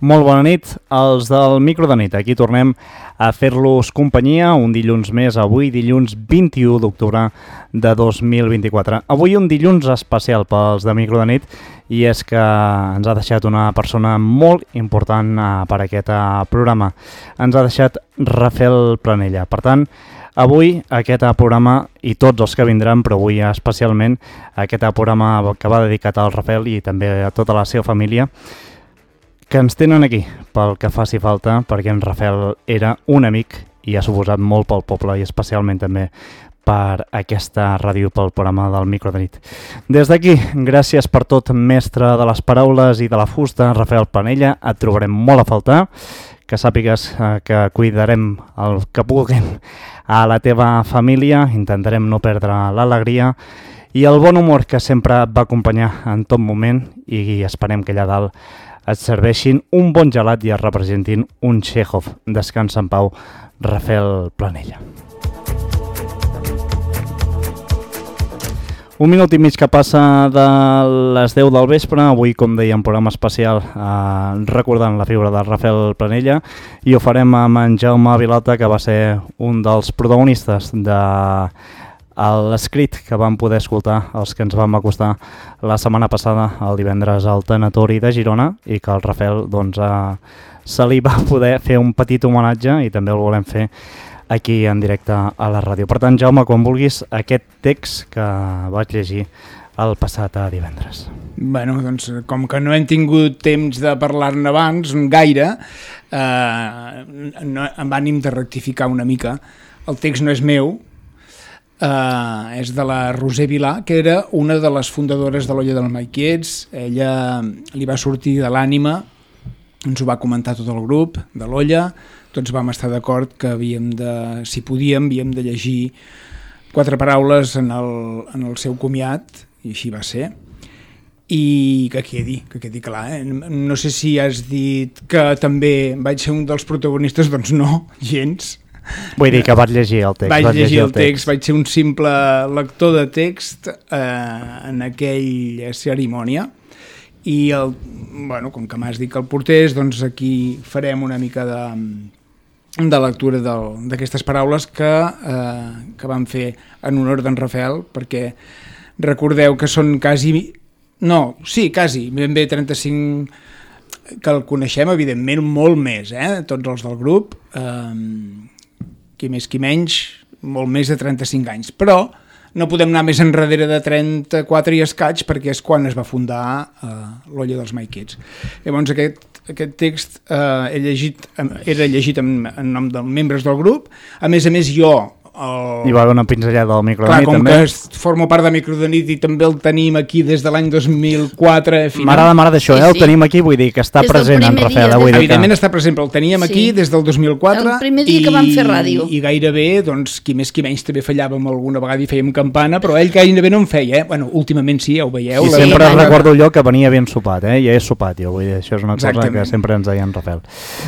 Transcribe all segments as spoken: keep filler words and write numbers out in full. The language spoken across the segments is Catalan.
Molt bona nit, els del Micro de Nit. Aquí tornem a fer-los companyia un dilluns més, avui dilluns vint-i-u d'octubre de dos mil vint-i-quatre. Avui un dilluns especial pels de Micro de Nit i és que ens ha deixat una persona molt important per aquest programa. Ens ha deixat Rafael Planella. Per tant, avui aquest programa i tots els que vindran, però avui especialment aquest programa que va dedicat al Rafael i també a tota la seva família, que ens tenen aquí pel que faci falta, perquè en Rafael era un amic i ha suposat molt pel poble i especialment també per aquesta ràdio, pel programa del Micro de Nit. Des d'aquí, gràcies per tot, mestre de les paraules i de la fusta, Rafael Planella, et trobarem molt a faltar, que sàpigues que cuidarem el que puguem a la teva família, intentarem no perdre l'alegria i el bon humor que sempre et va acompanyar en tot moment i esperem que allà dalt et serveixin un bon gelat i es representin un Chekhov. Descansa en pau, Rafael Planella. Un minut i mig que passa de les deu del vespre, avui, com dèiem, programa especial eh, recordant la figura de Rafael Planella, i ho farem amb en Jaume Vilota, que va ser un dels protagonistes de l'escrit que vam poder escoltar els que ens vam acostar la setmana passada, el divendres al Tanatori de Girona, i que el Rafael doncs, eh, se li va poder fer un petit homenatge i també el volem fer aquí en directe a la ràdio. Per tant, Jaume, quan vulguis, aquest text que vaig llegir el passat divendres. Bueno, doncs, com que no hem tingut temps de parlar-ne abans, gaire, eh, no, amb ànim de rectificar una mica, el text no és meu, Uh, és de la Roser Vilà, que era una de les fundadores de l'Olla dels Maiquiets. Ella li va sortir de l'ànima, ens ho va comentar tot el grup de l'Olla, tots vam estar d'acord que havíem de, si podíem, havíem de llegir quatre paraules en el, en el seu comiat, i així va ser. I que quedi, que quedi clar, eh? No sé si has dit que també vaig ser un dels protagonistes, doncs no, gens. Vull dir que vaig llegir el text. Vaig, vaig llegir el text, text, vaig ser un simple lector de text eh, en aquella cerimònia i, el, bueno, com que m'has dit que el portés, doncs aquí farem una mica de, de lectura d'aquestes paraules que, eh, que vam fer en honor d'en Rafael, perquè recordeu que són quasi, no, sí, quasi, ben bé trenta-cinc, que el coneixem, evidentment, molt més, eh, tots els del grup, eh, qui més qui menys, molt més de trenta-cinc anys, però no podem anar més enrere de trenta-quatre i escaig perquè és quan es va fundar eh, l'Olla dels Maiquiets. Llavors aquest, aquest text eh, he llegit, era llegit en, en nom dels membres del grup, a més a més jo el... Hi va haver una pinzellada del Micro de Nit, com també. Com que formo part de Micro de Nit i també el tenim aquí des de l'any dos mil quatre. M'agrada, m'agrada això, eh? Sí, sí. El tenim aquí, vull dir que està des present en Rafael. Dia, des... Evidentment que... està present, però el teníem sí. aquí des del dos mil quatre. El primer dia i, que vam fer ràdio. I gairebé, doncs, qui més qui menys també fallàvem alguna vegada i fèiem campana, però ell gairebé no en feia, eh? Bueno, últimament sí, ja ho veieu. I sempre sí, recordo allò que venia ben sopat, eh? Ja és sopat, jo, vull dir, això és una cosa Exactament. Que sempre ens deia en Rafael.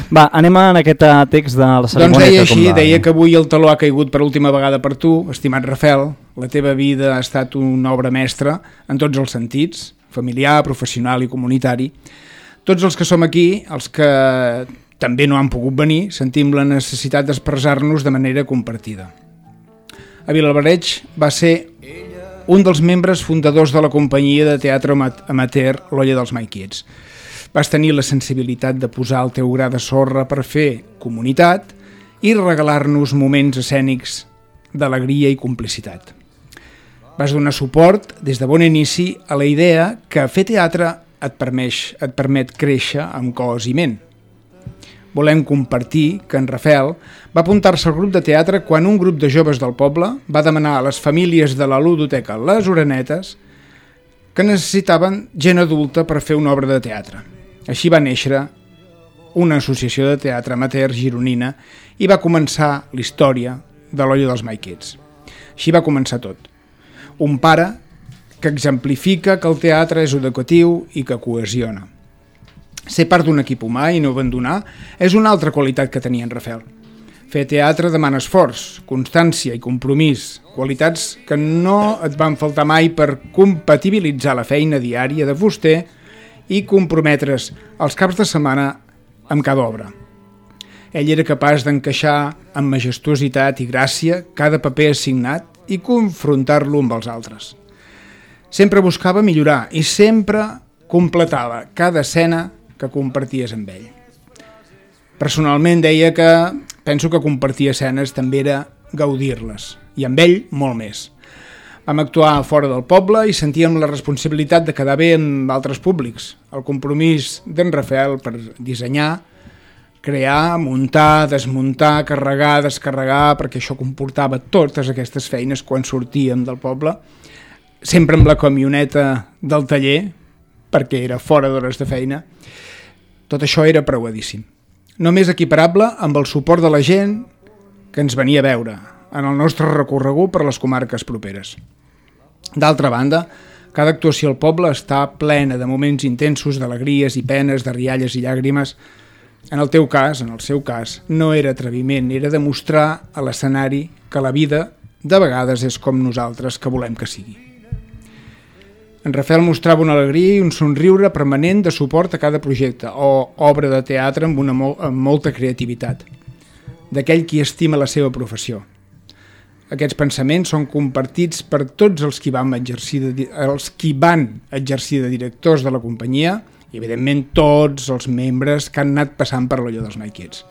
Va, anem en aquest text de la cerimònia. Doncs deia així, deia que avui el taló ha caigut per última vegada per tu, estimat Rafael, la teva vida ha estat una obra mestra en tots els sentits, familiar, professional i comunitari. Tots els que som aquí, els que també no han pogut venir, sentim la necessitat d'expressar-nos de manera compartida. A Vilaberreig va ser un dels membres fundadors de la companyia de teatre amateur l'Olla dels Maiquiets. Vas tenir la sensibilitat de posar el teu gra de sorra per fer comunitat i regalar-nos moments escènics d'alegria i complicitat. Vas donar suport des de bon inici a la idea que fer teatre et permet, et permet créixer amb cos i ment. Volem compartir que en Rafael va apuntar-se al grup de teatre quan un grup de joves del poble va demanar a les famílies de la ludoteca Les Orenetes que necessitaven gent adulta per fer una obra de teatre. Així va néixer una associació de teatre amateur gironina i va començar la història de l'Olla dels Maiquiets. Així va començar tot. Un pare que exemplifica que el teatre és educatiu i que cohesiona. Ser part d'un equip humà i no abandonar és una altra qualitat que tenia en Rafael. Fer teatre demana esforç, constància i compromís, qualitats que no et van faltar mai per compatibilitzar la feina diària de fuster i comprometre's els caps de setmana amb cada obra. Ell era capaç d'encaixar amb majestuositat i gràcia cada paper assignat i confrontar-lo amb els altres. Sempre buscava millorar i sempre completava cada escena que comparties amb ell. Personalment deia que penso que compartir escenes també era gaudir-les, i amb ell molt més. Vam actuar fora del poble i sentíem la responsabilitat de quedar bé amb altres públics. El compromís d'en Rafael per dissenyar, crear, muntar, desmuntar, carregar, descarregar, perquè això comportava totes aquestes feines quan sortíem del poble, sempre amb la camioneta del taller, perquè era fora d'hores de feina. Tot això era preuadíssim. Només equiparable amb el suport de la gent que ens venia a veure en el nostre recorregut per les comarques properes. D'altra banda, cada actuació al poble està plena de moments intensos d'alegries i penes, de rialles i llàgrimes. En el teu cas, en el seu cas, no era atreviment, era demostrar a l'escenari que la vida de vegades és com nosaltres que volem que sigui. En Rafael mostrava una alegria i un somriure permanent de suport a cada projecte o obra de teatre amb, una mol amb molta creativitat, d'aquell qui estima la seva professió. Aquests pensaments són compartits per tots els qui van exercir de, els qui van exercir de directors de la companyia i, evidentment, tots els membres que han anat passant per l'olla dels My Kids.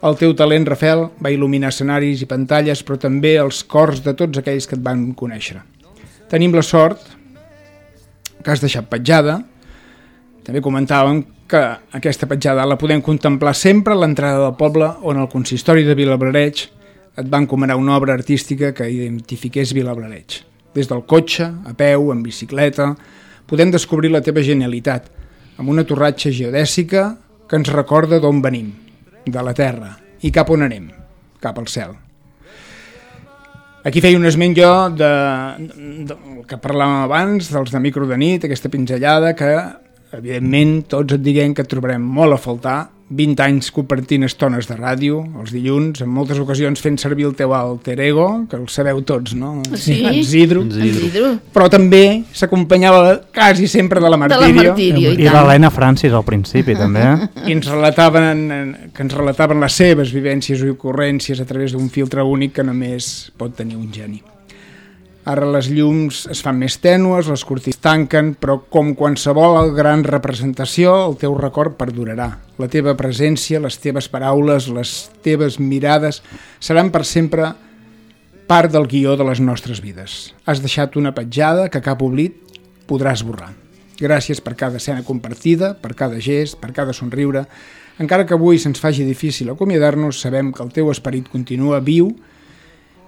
El teu talent, Rafael, va il·luminar escenaris i pantalles, però també els cors de tots aquells que et van conèixer. Tenim la sort que has deixat petjada. També comentàvem que aquesta petjada la podem contemplar sempre a l'entrada del poble, on el consistori de Vilablareix et va encomanar una obra artística que identifiqués Vilablareix. Des del cotxe, a peu, en bicicleta, podem descobrir la teva genialitat, amb una torratxa geodèsica que ens recorda d'on venim, de la terra, i cap on anem, cap al cel. Aquí feia un esment jo de, de, de que parlàvem abans, dels de Micro de nit, aquesta pinzellada que, evidentment, tots et diguem que et trobarem molt a faltar, vint anys compartint estones de ràdio, els dilluns, en moltes ocasions fent servir el teu alter ego, que el sabeu tots, no? Sí, en Zidro. en Zidro. Però també s'acompanyava quasi sempre de la Martirio. De la Martirio, i, I l'Helena Francis al principi, també. I ens relataven, que ens relataven les seves vivències i ocurrències a través d'un filtre únic que només pot tenir un geni. Ara les llums es fan més tènues, les cortines tanquen, però com qualsevol gran representació, el teu record perdurarà. La teva presència, les teves paraules, les teves mirades seran per sempre part del guió de les nostres vides. Has deixat una petjada que cap oblit podrà esborrar. Gràcies per cada escena compartida, per cada gest, per cada somriure. Encara que avui se'ns faci difícil acomiadar-nos, sabem que el teu esperit continua viu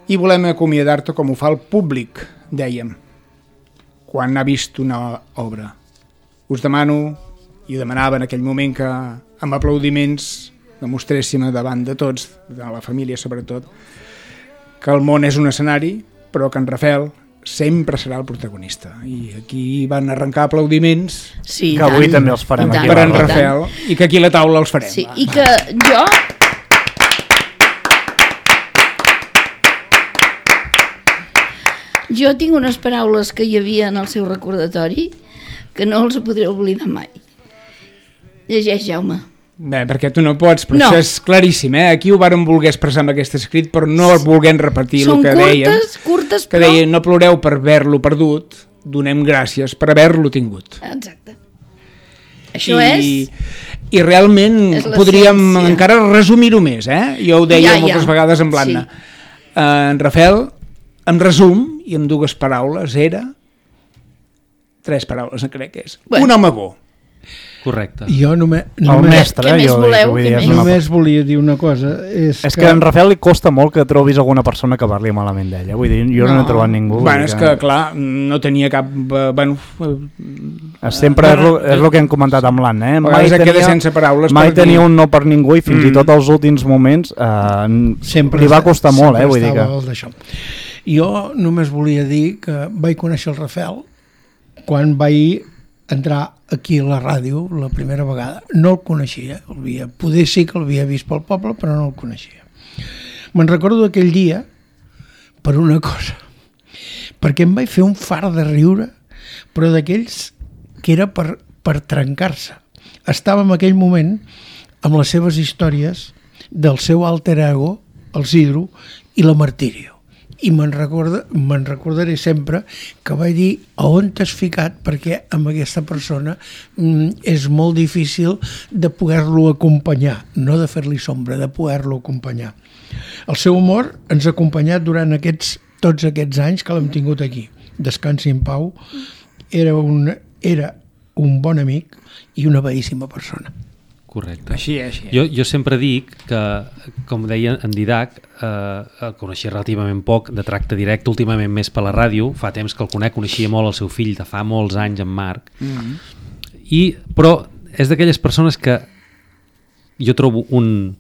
i volem acomiadar-te com ho fa el públic, dèiem, quan ha vist una obra. Us demano, i demanava en aquell moment que amb aplaudiments demostréssim davant de tots, de la família sobretot, que el món és un escenari, però que en Rafael sempre serà el protagonista. I aquí van arrencar aplaudiments, sí, que avui també els farem tant, aquí. per en tant. Rafael, i que aquí a la taula els farem. Sí, i que jo... Jo tinc unes paraules que hi havia en el seu recordatori que no els podré oblidar mai. Llegeix, Jaume. Bé, perquè tu no pots, però No. això és claríssim, eh? Aquí ho vàrem voler expressar amb aquest escrit, però no el volguem repetir Són el que curtes, dèiem. curtes, Que però... deia, no ploreu per haver-lo perdut, donem gràcies per haver-lo tingut. Exacte. Això I, és... I realment És podríem l'essència. encara resumir-ho més, eh? Jo ho deia Ja, ja. moltes vegades amb l'Anna. Sí. Uh, en Rafael, en resum, i amb dues paraules, era... Tres paraules, crec que és. Bueno. Un home bo. Correcte. Jo només, El només, mestre, Què més jo dic, voleu? vull Què dir, és més? una... només volia dir una cosa. És, És que a en Rafael li costa molt que trobis alguna persona que parli malament d'ella. Vull dir, jo no, no he trobat ningú. Bueno, vull és dir que, clar, no tenia cap... eh, Bueno, eh, Sempre és, lo, és el que hem comentat amb l'Anna, eh? a vegades et queda sense paraules. mai per dir- tenia un no per ningú i fins Mm. i tot als últims moments eh, sempre li va esta- costar molt, eh? sempre Vull dir que... estava al d'això. Jo només volia dir que vaig conèixer el Rafael quan vaig entrar aquí a la ràdio la primera vegada. No el coneixia, el havia, poder sí que l'havia vist pel poble, però no el coneixia. Me'n recordo d'aquell dia per una cosa, perquè em vaig fer un far de riure, però d'aquells que era per, per trencar-se. Estava en aquell moment amb les seves històries del seu alter ego, el Sidro, i la Martirio. I me'n recorda, me'n recordaré sempre que vaig dir a on t'has ficat, perquè amb aquesta persona mm, és molt difícil de poder-lo acompanyar, no de fer-li sombra, de poder-lo acompanyar. El seu humor ens ha acompanyat durant aquests, tots aquests anys que l'hem tingut aquí. Descansi en pau, era un, era un bon amic i una bellíssima persona. Correcte. Així, així. Jo, jo sempre dic que, com deia en Didac, eh, el coneixia relativament poc, de tracte directe, últimament més per la ràdio, fa temps que el conec, coneixia molt el seu fill, de fa molts anys, en Marc, mm-hmm. I, però és d'aquelles persones que jo trobo un,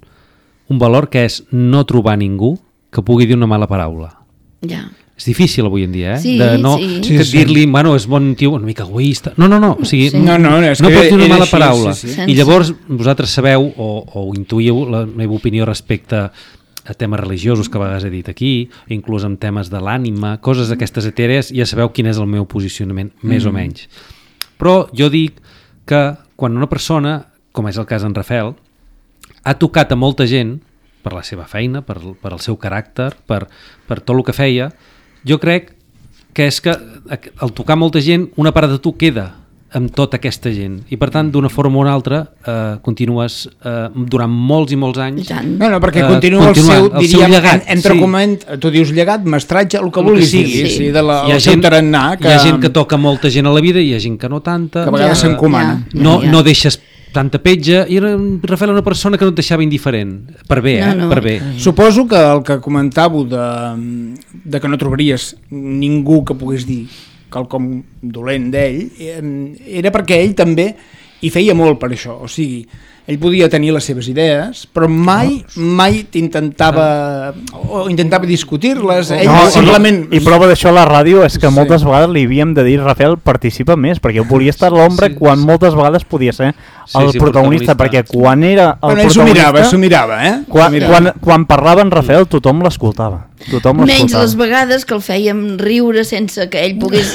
un valor que és no trobar ningú que pugui dir una mala paraula. Ja. És difícil avui en dia, eh? Sí, de no, sí. Que Sí, sí. dir-li, bueno, és bon tio, una mica egoista. No, no, no, o sigui, Sí. No, no, és no que pots dir una era mala així, paraula. sí, sí. I llavors vosaltres sabeu o, o intuïu la meva opinió respecte a temes religiosos que a vegades he dit aquí, inclús en temes de l'ànima, coses d'aquestes etèrees, ja sabeu quin és el meu posicionament, més mm. o menys. Però jo dic que quan una persona, com és el cas d'en Rafael, ha tocat a molta gent per la seva feina, per, per el seu caràcter, per, per tot el que feia, jo crec que és que al tocar molta gent una part de tu queda amb tota aquesta gent i per tant d'una forma o una altra eh, continues eh, durant molts i molts anys No, no, perquè eh, continua el seu, el diríem, seu llegat, entre sí. coment, tu dius llegat, mestratge, el que El que vulguis sigui, dir, sí. sí, de la, hi ha el seu gent, tarannà, que, hi ha gent que toca molta gent a la vida i hi ha gent que no tanta, que a vegades Ja, s'encomana. ja. no, no deixes tanta petja i era, Rafael era una persona que no et deixava indiferent per bé, eh? No, no. per bé. Suposo que el que comentàveu de, de que no trobaries ningú que pogués dir quelcom dolent d'ell, era perquè ell també hi feia molt per això, o sigui, ell podia tenir les seves idees, però mai mai t'intentava o intentava discutir-les, ell No, simplement... I prova d'això a la ràdio és que Sí. moltes vegades li havíem de dir, Rafael, participa més, perquè volia estar a l'ombra Sí, quan sí. moltes vegades podia ser Sí, el sí, protagonista, protagonista. perquè quan era el Bueno, ell s'ho mirava, protagonista... s'ho mirava, eh? Quan, S'ho mirava. quan, quan parlava en Rafael tothom l'escoltava. Tothom Menys l'escoltava. les vegades que el fèiem riure sense que ell pogués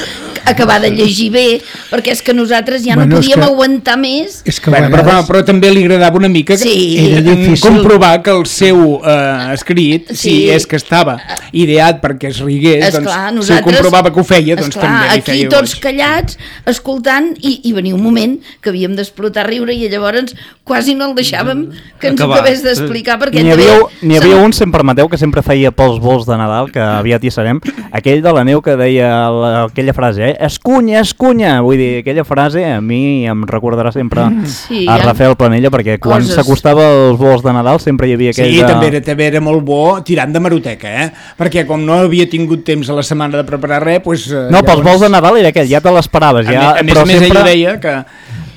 acabar de llegir bé, perquè és que nosaltres ja Bueno, no és podíem que- aguantar més. És que a Bueno, però, vegades... però també li agradava una mica que, Sí. Era difícil. comprovar que el seu eh, escrit, si Sí. és que estava ideat perquè es rigués, doncs, Esclar, si ho nosaltres, comprovava que ho feia, doncs esclar, també li aquí feia tots goig. callats, escoltant, i, i venia un moment que havíem d'explotar a riure i llavors quasi no el deixàvem que ens Acabar. ho acabés d'explicar perquè N'hi també havia, n'hi havia se'n- un, si em permeteu, que sempre feia pels vols de Nadal, que aviat hi serem, aquell de la neu que deia la, aquella frase, eh? Escunya, escunya! Vull dir, aquella frase a mi em recordarà sempre Sí, a hi ha Rafael Planella, perquè quan coses. s'acostava als vols de Nadal sempre hi havia aquell Sí, de... també era, també era molt bo tirant de maroteca, eh? Perquè com no havia tingut temps a la setmana de preparar res, doncs... Eh, No, pels vols de Nadal era aquell, ja te l'esperaves. A, Ja, més, a més, però a més sempre... ell deia que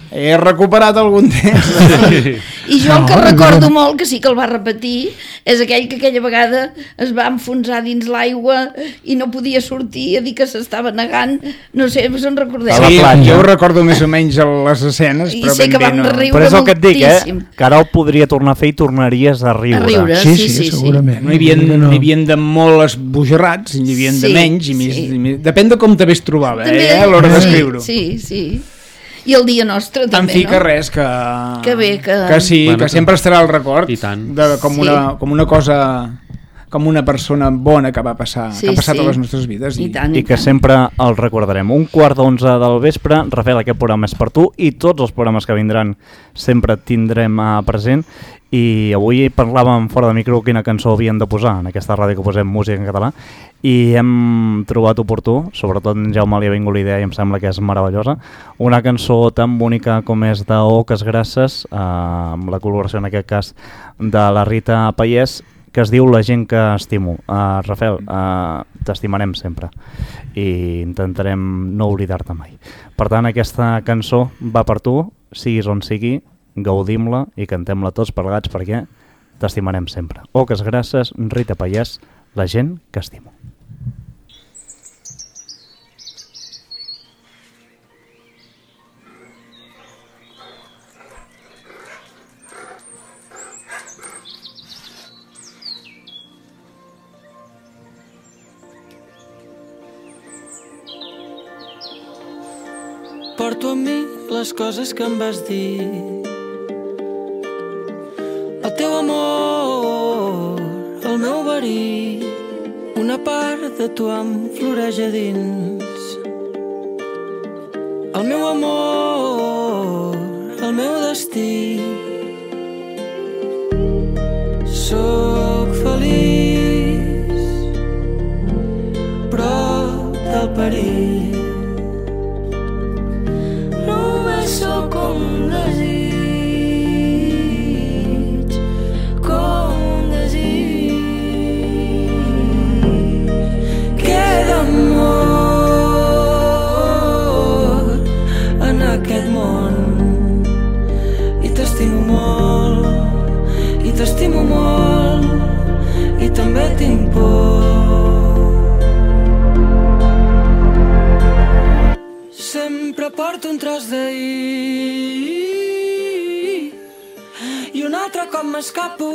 he recuperat algun temps. I jo el que No, recordo no. molt, que sí que el va repetir, és aquell que aquella vegada es va enfonsar dins l'aigua i no podia sortir a dir que s'estava negant. No sé, us en recordeu? A la Sí, platja. jo recordo més o menys les escenes, I però sé ben que bé vam no... riure Però és el que et dic, eh? moltíssim. Que ara ho podria tornar a fer i tornaries a riure. A riure. Sí, Sí, sí, sí, sí. segurament. No hi havia, No. no. hi havia de molt esbojarrats, i n'hi havia de Sí, menys, i més, sí. i més... Depèn de com també es trobava, També, eh, a l'hora sí, d'escriure-ho. Sí, sí. I el dia nostre En també, fi, no? que res, que... Que bé, que- Que sí, Bueno, que sempre estarà al record, i tant. de, com, Sí. una, com una cosa... com una persona bona que va passar, Sí, que ha passat sí. a les nostres vides. I tant, I que tant. sempre el recordarem. Un quart d'onze del vespre, Rafael, aquest programa és per tu i tots els programes que vindran sempre et tindrem a present. I avui parlàvem fora de micro quina cançó havien de posar en aquesta ràdio que posem música en català i hem trobat oportú, sobretot en Jaume li ha vingut la idea i em sembla que és meravellosa, una cançó tan bonica com és de Oques Grasses, eh, amb la col·laboració en aquest cas de la Rita Paiés, que es diu La gent que estimo. Uh, Rafael, uh, t'estimarem sempre i intentarem no oblidar-te mai. Per tant, aquesta cançó va per tu, siguis on sigui, gaudim-la i cantem-la tots plegats perquè t'estimarem sempre. Oques Grasses, Rita Paiés, La gent que estimo. Porto amb mi les coses que em vas dir. teu amor, el meu verí, una part de tu em floreix a dins. El meu amor, el meu destí. Sóc feliç prop del perill. Només sóc com un desig, com un desig. Queda amor en aquest món i t'estimo molt, i t'estimo molt, i també tinc por. Sempre porto un tros d'ahir i un altre cop m'escapo,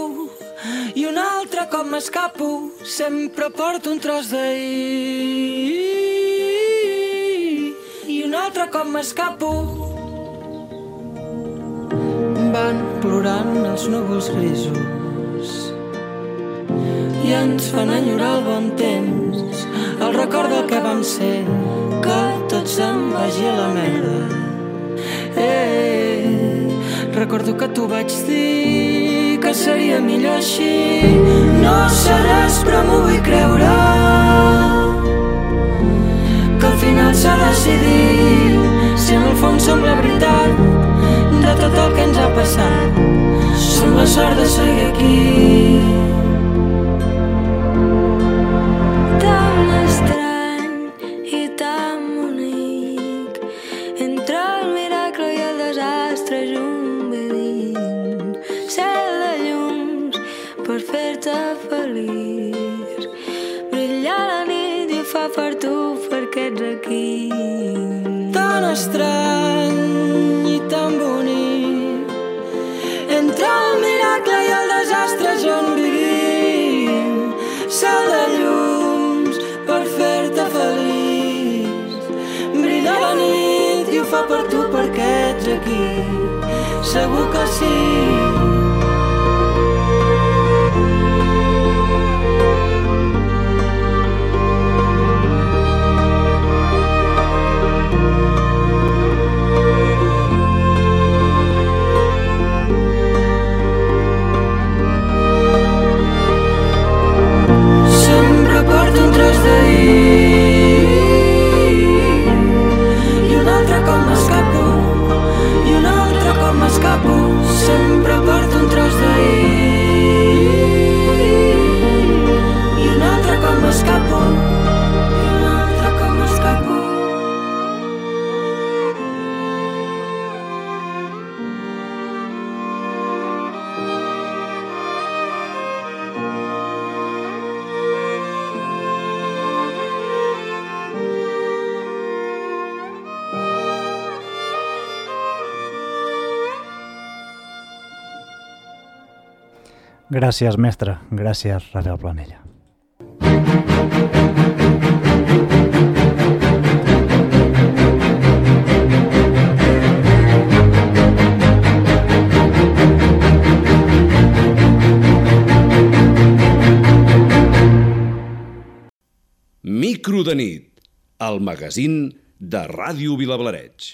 i un altre cop m'escapo. Sempre porto un tros d'ahir i un altre cop m'escapo. Van plorant els núvols grisos i ens fan enyorar el bon temps, el record del que vam ser, que tot se'n vagi a la merda. Eh, recordo que t'ho vaig dir, que seria millor així. No sé res però m'ho vull creure, que al final s'ha decidit, si en el fons som la veritat de tot el que ens ha passat. Som la sort de seguir aquí. Tan estrany i tan bonic, entre el miracle i el desastre junt vivint. Cel de llums per fer-te feliç, brillar la nit i ho fa per tu perquè ets aquí. Tan estrany i tan bonic, entre el miracle i el desastre on vivim. Cel de llums per fer-te feliç, brilla la nit i ho fa per tu perquè ets aquí. Segur que sí. Sempre porto un tros d'ahir i un altre cop m'escapo, i un altre cop m'escapo. Gràcies, mestre. Gràcies, Rafael Planella. Micro de nit, el magazín de Ràdio Vilablareix.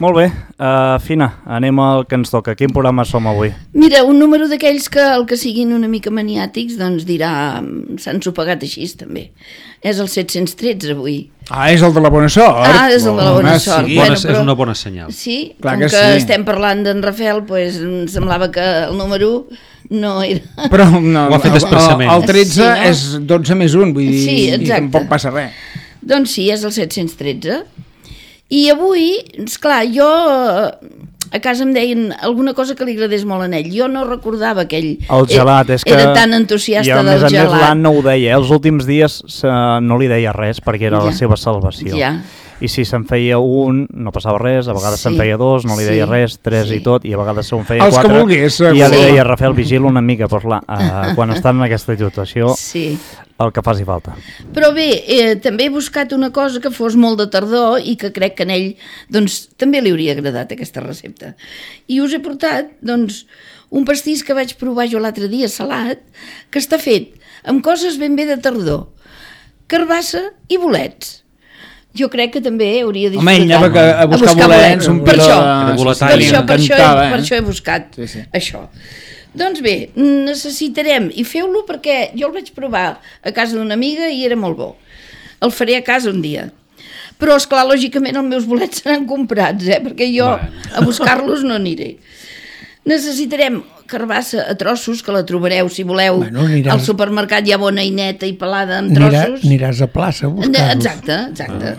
Molt bé, uh, Fina, anem al que ens toca. Quin programa som avui? Mira, un número d'aquells que el que siguin una mica maniàtics doncs dirà, s'han sopegat així també. És el set-cents tretze avui. Ah, és el de la bona sort. Ah, és el de la bona Home, sort. sí. Bona, Bueno, però- és una bona senyal. Sí, Clar com que que, sí. estem parlant d'en Rafael, pues, em semblava que el número no era... Però no, Ho ha fet el- expressament. El, el tretze Sí, no? és dotze més un, vull dir, Sí, i exacte. tampoc passa res. Doncs sí, és el set-cents tretze. I avui, esclar, jo a casa em deien alguna cosa que li agradés molt a ell. Jo no recordava aquell... El gelat, és que... Era tan entusiasta i a del més a més gelat. l'Anna ho deia, eh? Els últims dies se, no li deia res perquè era Ja. la seva salvació. Ja. i si se'n feia un no passava res, a vegades Sí. se'n feia dos, no li deia Sí. res, tres Sí. i tot, i a vegades se'n feia Els que quatre, volgués, i ja li segur. deia, Rafael, vigila una mica, però clar, eh, quan estan en aquesta situació, Sí. el que faci falta. Però bé, eh, també he buscat una cosa que fos molt de tardor i que crec que a ell doncs, també li hauria agradat aquesta recepta. I us he portat doncs, un pastís que vaig provar jo l'altre dia, salat, que està fet amb coses ben bé de tardor. Carbassa i bolets. Jo crec que també hauria disfrutat. Home, ell anava a buscar bolets, un per piló això, de- per boletalla. això, per, això, Encantava, eh? per això he buscat Sí, sí. això. Doncs bé, necessitarem, i feu-lo perquè jo el vaig provar a casa d'una amiga i era molt bo. El faré a casa un dia. Però, esclar, lògicament els meus bolets seran comprats, eh? Perquè jo Bueno. a buscar-los no aniré. Necessitarem carbassa a trossos, que la trobareu, si voleu, Bueno, aniràs- al supermercat ja bona i neta i pelada amb Anirà, trossos. aniràs a plaça a buscar-los. Exacte, exacte.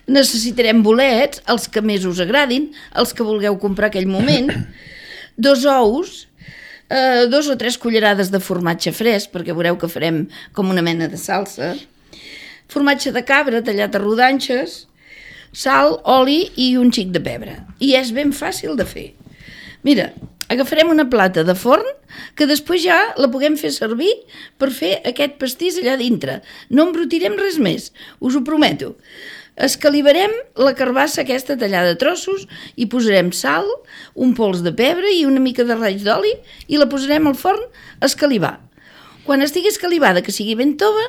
Necessitarem bolets, els que més us agradin, els que vulgueu comprar aquell moment, dos ous, eh, dos o tres cullerades de formatge fresc, perquè veureu que farem com una mena de salsa, formatge de cabra tallat a rodanxes, sal, oli i un xic de pebre. I és ben fàcil de fer. Mira, agafarem una plata de forn que després ja la puguem fer servir per fer aquest pastís allà dintre. No embrutirem res més, us ho prometo. Escalivarem la carbassa aquesta tallada a trossos i posarem sal, un pols de pebre i una mica de raig d'oli i la posarem al forn a escalivar. Quan estigui escalivada, que sigui ben tova,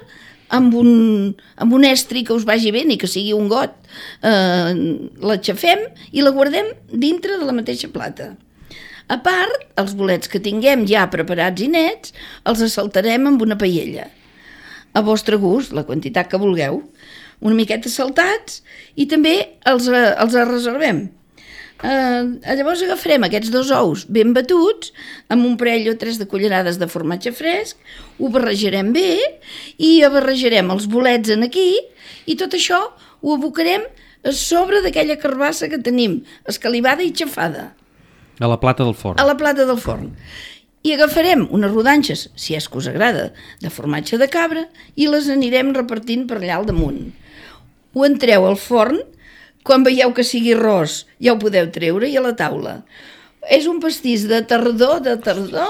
amb un, amb un estri que us vagi bé i que sigui un got, eh, l'aixafem i la guardem dintre de la mateixa plata. A part, els bolets que tinguem ja preparats i nets, els assaltarem amb una paella. A vostre gust, la quantitat que vulgueu. Una miqueta saltats i també els, eh, els reservem. Eh, llavors agafarem aquests dos ous ben batuts amb un parell o tres de cullerades de formatge fresc, ho barrejarem bé i barrejarem els bolets en aquí i tot això ho abocarem a sobre d'aquella carbassa que tenim escalivada i xafada A la plata del forn. a la plata del forn. I agafarem unes rodanxes, si és que us agrada, de formatge de cabra i les anirem repartint per allà al damunt. Ho entreu al forn, quan veieu que sigui ros ja ho podeu treure i a la taula. És un pastís de tardor, de tardor,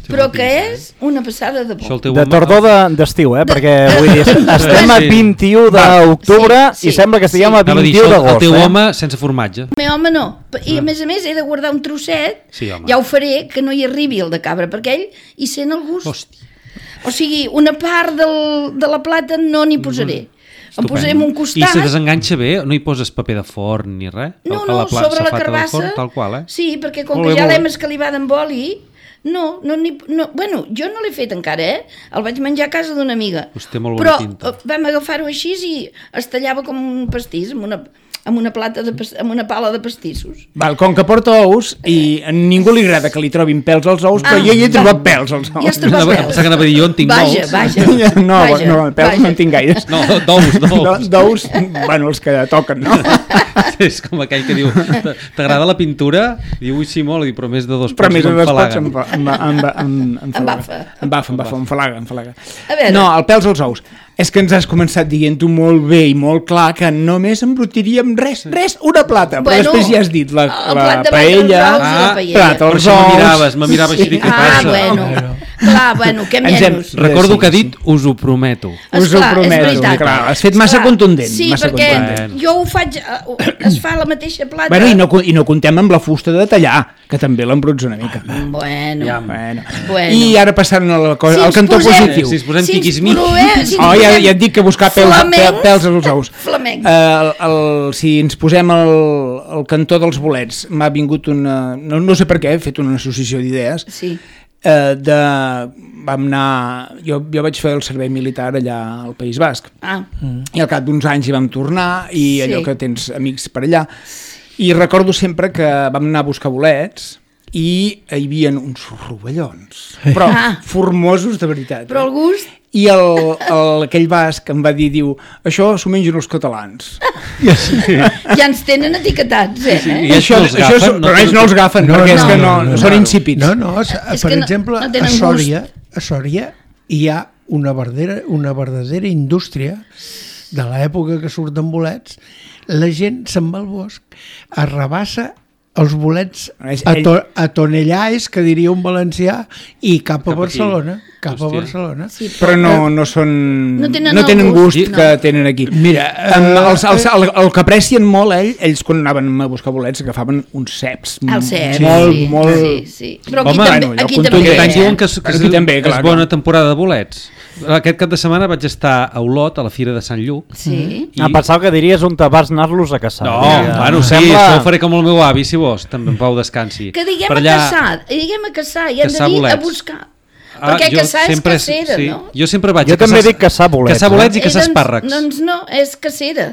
però que és una passada de Això bo. el teu De home- tardor de- d'estiu, eh? Perquè vull dir, estem a Sí. vint-i-u d'octubre Sí, sí, i sembla que estiguem sí. a Anava a dir, vint-i-u això, el d'agost. teu eh? home sense formatge. El meu home no. I a més a més he de guardar un trosset, Sí, home. ja ho faré, que no hi arribi el de cabra, perquè ell hi sent el gust. Hòstia. O sigui, una part del, de la plata no n'hi posaré. En Estupend. posarem un I costat. se desenganxa bé? No hi poses paper de forn ni res? No, A no, pla- sobre la safata del carbassa. Forn, tal qual, eh? Sí, perquè com Molt que bé, ja molt l'hem bé. escalivat amb oli, no, no, ni, no, bueno, jo no l'he fet encara, eh? El vaig menjar a casa d'una amiga. Us té molt bona Però pinta. eh, vam agafar-ho així i es tallava com un pastís, amb una, amb una, plata de, pas- amb una pala de pastissos. Val, com que porta ous i a ningú li agrada que li trobin pèls als ous, però Ah, jo hi he trobat va. pèls als ous. I has trobat Anava- pèls. pensava que anava a dir, jo en tinc vaja, molts. Vaja, No, vaja, no, pèls vaja. no en tinc gaires. No, d'ous, No, d'ous. d'ous, bueno, els que toquen, no? És com aquell que diu, t'agrada la pintura? Diu, ui, sí, molt, i diu, però més de dos Però pots més de dos pots m'enfalaguen. em, fa- em, em, em, em, Embafa. Embafa, embafa, em falaga, em falaga. A veure. No, el pèls als ous. És que ens has començat dient-ho molt bé i molt clar que només embrutiríem res, res, una plata. Però Bueno, després ja has dit la, el la plat de paella, batre els ous i la Ah, paella. plat Per als això ous... me miraves, me mirava així, dic, què Ah, passa? bueno. Clar, bueno, que Ens hem- menys. Recordo Sí, que ha sí. dit, us ho prometo. Us ho Esclar, és prometo, veritat. clar, has fet massa Esclar, contundent, Sí, massa perquè contundent. jo ho faig, eh, es fa a la mateixa plata. Bueno, i no, i no contem amb la fusta de tallar, que també l'embruts una mica. Bueno, Ja, Bueno. Bueno. I ara passant a la cosa, Si al ens cantó posem- positiu. Si ens posem Si ens tiquismiquis. provem- si ens Oh, ja, posem ja et dic que buscar pèls, flamencs, pèl- pèls als ous. flamencs. Uh, el, el, si ens posem al, al cantó dels bolets, m'ha vingut una... No, no sé per què, he fet una associació d'idees. Sí. Uh, de, vam anar... Jo, jo vaig fer el servei militar allà al País Basc. Ah, I al cap d'uns anys hi vam tornar i Sí. allò que tens amics per allà. I recordo sempre que vam anar a buscar bolets i hi havia uns rovellons, però Ah. formosos de veritat. però el eh? gust... I el, el, aquell basc em va dir, diu, això s'ho mengen els catalans. Ja ens tenen etiquetats, eh? Sí, I I això, no els això, agafen, però no ells no els agafen, No, perquè és no, que no, no, no, són no. insípids. No, no, s- És per que no- exemple, no a tenen Sòria, a Sòria hi ha una verdadera, una verdadera indústria de l'època que surten bolets, la gent se'n va al bosc, arrabassa els bolets a, to, a tonellars, que diria un valencià, i cap a Cap Barcelona. aquí. Cap a Hòstia. Barcelona. Sí, Però no, no són... No tenen no tenen el gust gust, que no. tenen aquí. Mira, Um, eh, els, els, el, el que aprecien molt, ell, ells quan anaven a buscar bolets agafaven uns ceps. El cep, molt, sí, molt... sí, sí. Però aquí Home, també, bueno, allò aquí contundent. també, Aquest any eh? diuen que, és- que, Aquí és, també, clar, és bona clar. temporada de bolets. Aquest cap de setmana vaig estar a Olot, a la Fira de Sant Lluc. Sí. I... Em pensava que diries on te vas anar-los a caçar. No, Diria, bueno, em sí, sembla- això ho faré com el meu avi, si vols, també en Pau descansi. Que diguem Per a caçar, diguem a caçar, i hem Caçar de dir bolets. a buscar. Ah, Perquè jo caçar és sempre- cacera, sí. no? Jo sempre vaig Jo a caçar... també dic caçar bolets, Caçar bolets Eh, i caçar doncs- espàrrecs. Doncs no, és cacera.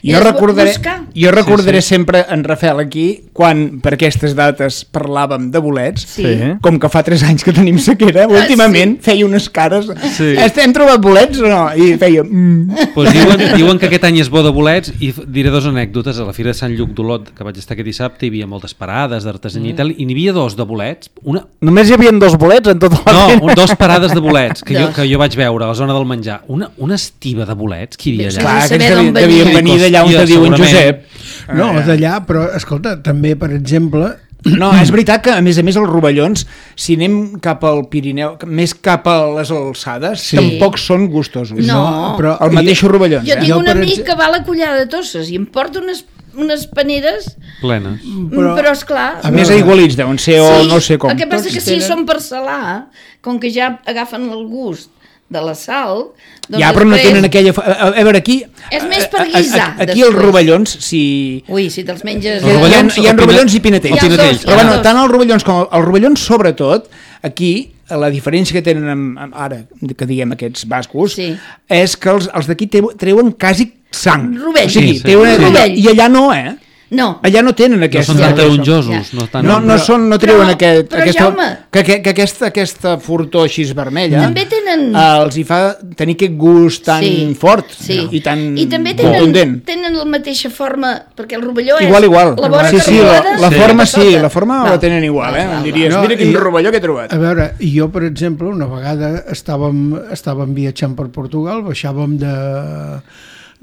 Jo És recordaré, buscar. jo recordaré Sí, sí. sempre en Rafael aquí, quan per aquestes dates parlàvem de bolets, Sí. Sí. com que fa tres anys que tenim sequera, últimament sí. feia unes cares... Sí. Sí. Hem trobat bolets o no? I feia... Mm. Pues diuen, diuen que aquest any és bo de bolets i f- diré dues anècdotes. A la Fira de Sant Lluc d'Olot, que vaig estar aquest dissabte, hi havia moltes parades d'artesania mm. i tal, i n'hi havia dos de bolets. Una, Només hi havia dos bolets en tota la no, fira. un, dos parades de bolets que jo, Dos. que jo vaig veure a la zona del menjar. Una, una estiva de bolets que hi havia Bé, allà. clar. Clar, saber aquests d'on devien, devien venien. venir d'allà on Hòstia, te diu en segurament. Josep. no, Ah, d'allà, però escolta, també, per exemple, No, és veritat que, a més a més, els rovellons, si anem cap al Pirineu, més cap a les alçades, Sí. tampoc són gustosos. No. però El mateix rovellons, Jo eh? tinc Jo, un per amic exe- que va a la Collada de Tosses i em porta unes, unes paneres, Plenes. però, però esclar... A Més veure, aigualits deuen ser, o no sé com. El que passa Tots que si tenen- són per salar, com que ja agafen el gust de la sal... Doncs Ja, però no després- tenen aquella... A, a, a veure, aquí... És més per a- a- guisar, a- Aquí després. els rovellons, si... Ui, si te'ls menges... Els Hi ha, rovellons hi ha o rovellons i pina- pinetells. o pinatells, Però hi ha bueno, dos. tant els rovellons com els rovellons, sobretot, aquí, la diferència que tenen amb, amb ara, que diguem aquests bascos, Sí. és que els, els d'aquí treu- treuen quasi sang. Rovell. O sigui, Sí, sí. treuen, Rovell. I allà no, eh? No, Allà no tenen No aquesta... són tan ja. taronjosos. No, tan... No, no, són, no treuen Però- aquest, però, aquesta, Jaume- que, que, que aquesta, aquesta fortor així vermella També tenen- eh, els hi fa tenir aquest gust tan Sí, fort sí. i tan I també tenen, contundent. tenen la mateixa forma, perquè el rovelló és Igual, igual. la vora sí, sí, la, cargolada la i forma la sí, sota. la forma Val. la tenen igual, eh? Val, val, Diries, val. mira quin No, i- rovelló que he trobat. a veure, jo, per exemple, una vegada estàvem, estàvem viatjant per Portugal, baixàvem de,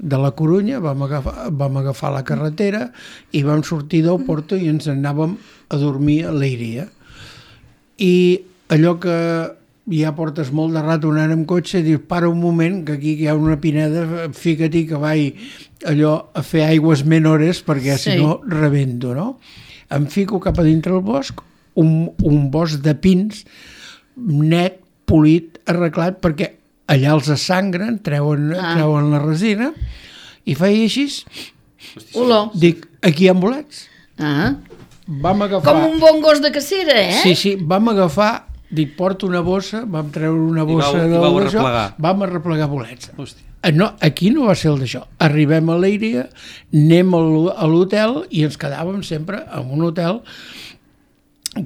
de la Corunya, vam agafar, vam agafar la carretera i vam sortir del Porto i ens anàvem a dormir a Leiria. I allò que ja portes molt de rato anant amb cotxe, dius, para un moment, que aquí hi ha una pineda, fica-t'hi que vaig allò a fer aigües menores perquè Sí. si no rebento, no? Em fico cap a dintre el bosc, un, un bosc de pins net, polit, arreglat, perquè allà els assangren, treuen, Ah. treuen la resina, i feia així, Olor. dic, aquí hi ha bolets. Ah. Vam agafar... Com un bon gos de cacera, eh? Sí, sí, vam agafar, dic, porto una bossa, vam treure una I bossa vau- i del vau d'això, arreplegar. vam arreplegar bolets. Hòstia. Eh, No, aquí no va ser el d'això. Arribem a Leiria, anem a l'ho- a l'hotel i ens quedàvem sempre en un hotel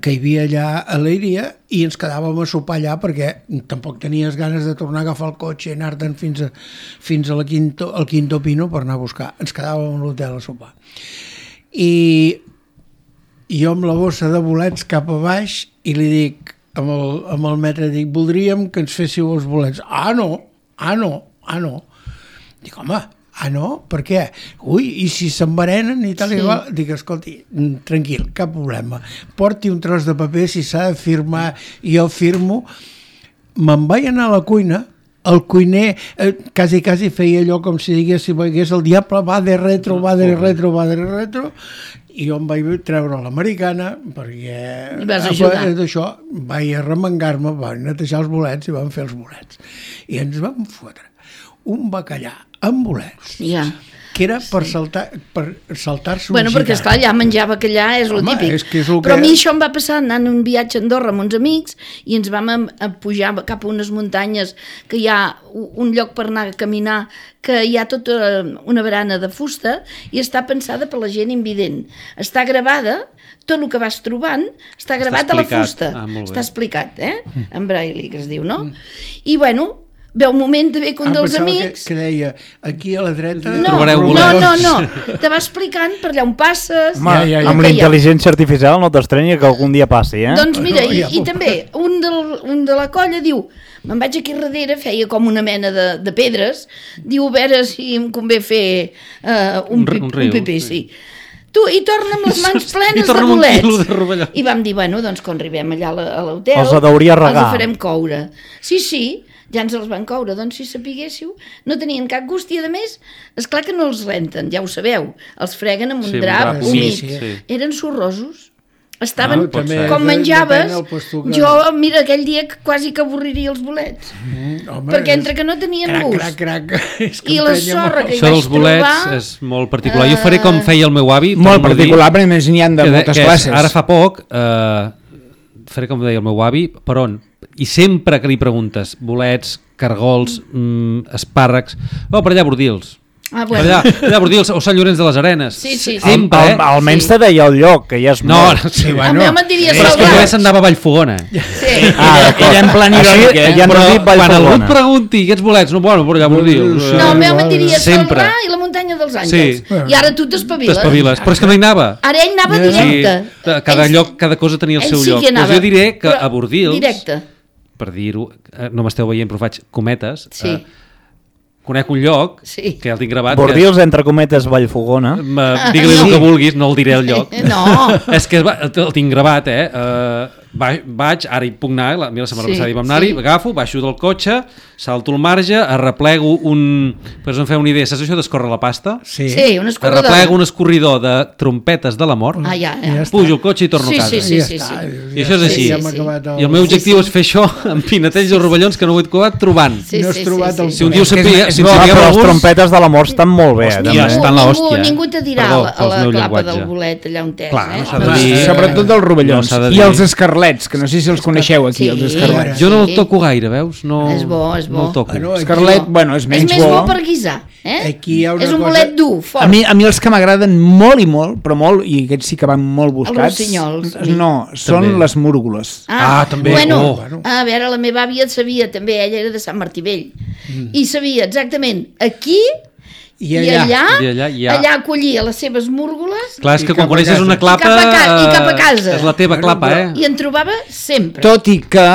que hi havia allà a Leiria i ens quedàvem a sopar allà perquè tampoc tenies ganes de tornar a agafar el cotxe i anar-te'n fins, a, fins a la quinto, al Quinto Pino per anar a buscar. Ens quedàvem a l'hotel a sopar. I jo amb la bossa de bolets cap a baix i li dic amb el, amb el metre, dic, voldríem que ens féssiu els bolets. Ah, no, ah, no, ah, no. Dic, home, ah, no? Per què? Ui, i si s'enverenen i tal Sí. i igual? Dic, escolti, mm, tranquil, cap problema. Porti un tros de paper, si s'ha de firmar, i jo firmo. Me'n vaig anar a la cuina, el cuiner eh, quasi, quasi feia allò com si digués, si veiés el diable, va de retro, va de retro, va de retro, i jo em vaig treure l'americana perquè I vas ajudar. eh, d'això vaig arremengar-me, vaig netejar els bolets i vam fer els bolets. I ens vam fotre un bacallà amb bolets, Ja. que era per saltar per saltar-se un Bueno, perquè, gitano. esclar, allà menjar bacallà és el Home, típic. és que és el Però que- a mi això em va passar anant un viatge a Andorra amb uns amics i ens vam a, a pujar cap a unes muntanyes que hi ha u- un lloc per anar a caminar, que hi ha tota una barana de fusta i està pensada per la gent invident. Està gravada, tot el que vas trobant està gravat a la explicat. fusta. Ah, molt bé. Està explicat, eh? En braille, que es diu, no? I, bueno, ve un moment de ve que un Ah, dels pensava amics... Que, que deia, aquí a la dreta... No, trobareu no, bolets. no, no, te va explicant per allà on passes... Home, ja, ja, ja. el Amb que la hi ha. intel·ligència artificial no t'estranya que algun dia passi, eh? Doncs mira, No, i, ja i puc. també un, del, un de la colla diu, me'n vaig aquí darrere, feia com una mena de, de pedres, diu, a veure si em convé fer uh, un, Un r- pip, un riu, un pipí, sí. sí. Tu, i torna amb les mans plenes I de torna amb un bolets. quilo de rovelló. I vam dir, bueno, doncs quan arribem allà a la- a l'hotel... Els hauria regar. Els farem coure. Sí, sí, ja ens els van coure. Doncs si sapiguéssiu, no tenien cap gust i a més, esclar que no els renten, ja ho sabeu. Els freguen amb un Sí, amb un drap drap humit. humit, sí. Eren sorrosos. Estaven, Ah, també, com de- menjaves, depèn del puesto que- jo, mira, aquell dia que quasi que avorriria els bolets. Mm, home, Perquè és- entre que no tenien Crac, gust crac, crac. És que i la emprenya sorra molt. que hi Això vaig dels bolets trobar... és molt particular. Jo faré com feia el meu avi. Molt torno a dir, particular, perquè a més n'hi ha de que de- moltes que és, classes. Ara fa poc, eh, faré com deia el meu avi, per on? I sempre que li preguntes bolets, cargols, mm, espàrrecs... Oh, per allà, Bordils. Ah, Per bueno. allà, per allà, Bordils, o Sant Llorenç de les Arenes. Sí, sí, sí. Sempre, Al, eh? almenys Sí. te deia el lloc, que ja és No, molt. no, sí, A mi home et diria però és que Salvat. jo se'n anava a Vallfogona. Sí. Ah, Ella en plan irònic, Així, eh? ja ens Però has dit quan algú et Vallfogona. pregunti aquests bolets, no, bueno, per allà, Bordils. No, el eh, meu home et diria Sempre. Salrà i la muntanya dels Àngels. Sí. I ara tu t'espaviles. T'espaviles, però és que no hi anava. Ara ell anava Sí, directe. cada Ell- lloc, cada cosa tenia el ell seu sí lloc. que anava, Doncs jo diré que però a Bordils, Directe. per dir-ho, eh, no m'esteu veient però faig cometes, Sí. eh, conec un lloc, Sí. que ja el tinc gravat, Bordils, entre cometes, Vallfogona. que és, digue-li el que vulguis, no el diré al lloc. No. És que va- el tinc gravat, eh? Uh, va, vaig, ara hi puc anar, la, mira, la setmana Sí, passada hi vam anar-hi, sí. agafo, baixo del cotxe, salto el marge, arreplego un... Per us en feu una idea, saps això d'escórrer la pasta? Sí. Sí, un escorredor. Arreplego un escorridor de trompetes de la mort, Ah, ja, Ja ja. està. pujo el cotxe i torno Sí, a casa. sí, sí, I ja sí, està. sí. I això és Ja així. hem Sí, sí. acabat el... I el meu objectiu Sí, és sí. fer això amb pinetells o rovellons que no ho he trobat trobant. Sí, No has sí, trobat sí, el- sí. Si un dia ho És que és- sabia, és si en bo, Ah, sabíeu però les alguns... trompetes de la mort estan molt bé, Hòstia, també. està estan la ningú, hòstia. ningú te dirà Perdó a pel la meu clapa llenguatge. del bolet allà on és, Clar, eh? no s'ha de Home, dir. Sobretot dels rovellons. No s'ha de I dir. els escarlets, que no sé si els coneixeu aquí, Sí. els escarlets. Jo no Sí. el toco gaire, veus? No, És bo, és bo. No el toco. Ah, no, Escarlet, aquí- bueno, és És menys més bo per guisar, eh? Aquí hi ha una és un cosa- bolet dur, fort. A mi, a mi els que m'agraden molt i molt, però molt, i aquests sí que van molt buscats, rossinyols. no, són També. les múrgules. Ah, també. Bueno, Oh. a veure, la meva àvia sabia també, ella era de Sant Martí Vell, mm. i sabia exactament aquí I i allà. allà, I allà, i allà. allà acollia les seves múrgules Clar, és I que cap quan a coneixes casa. una clapa... I cap a ca- i cap a casa. És la teva clapa, eh? i en trobava sempre. Tot i que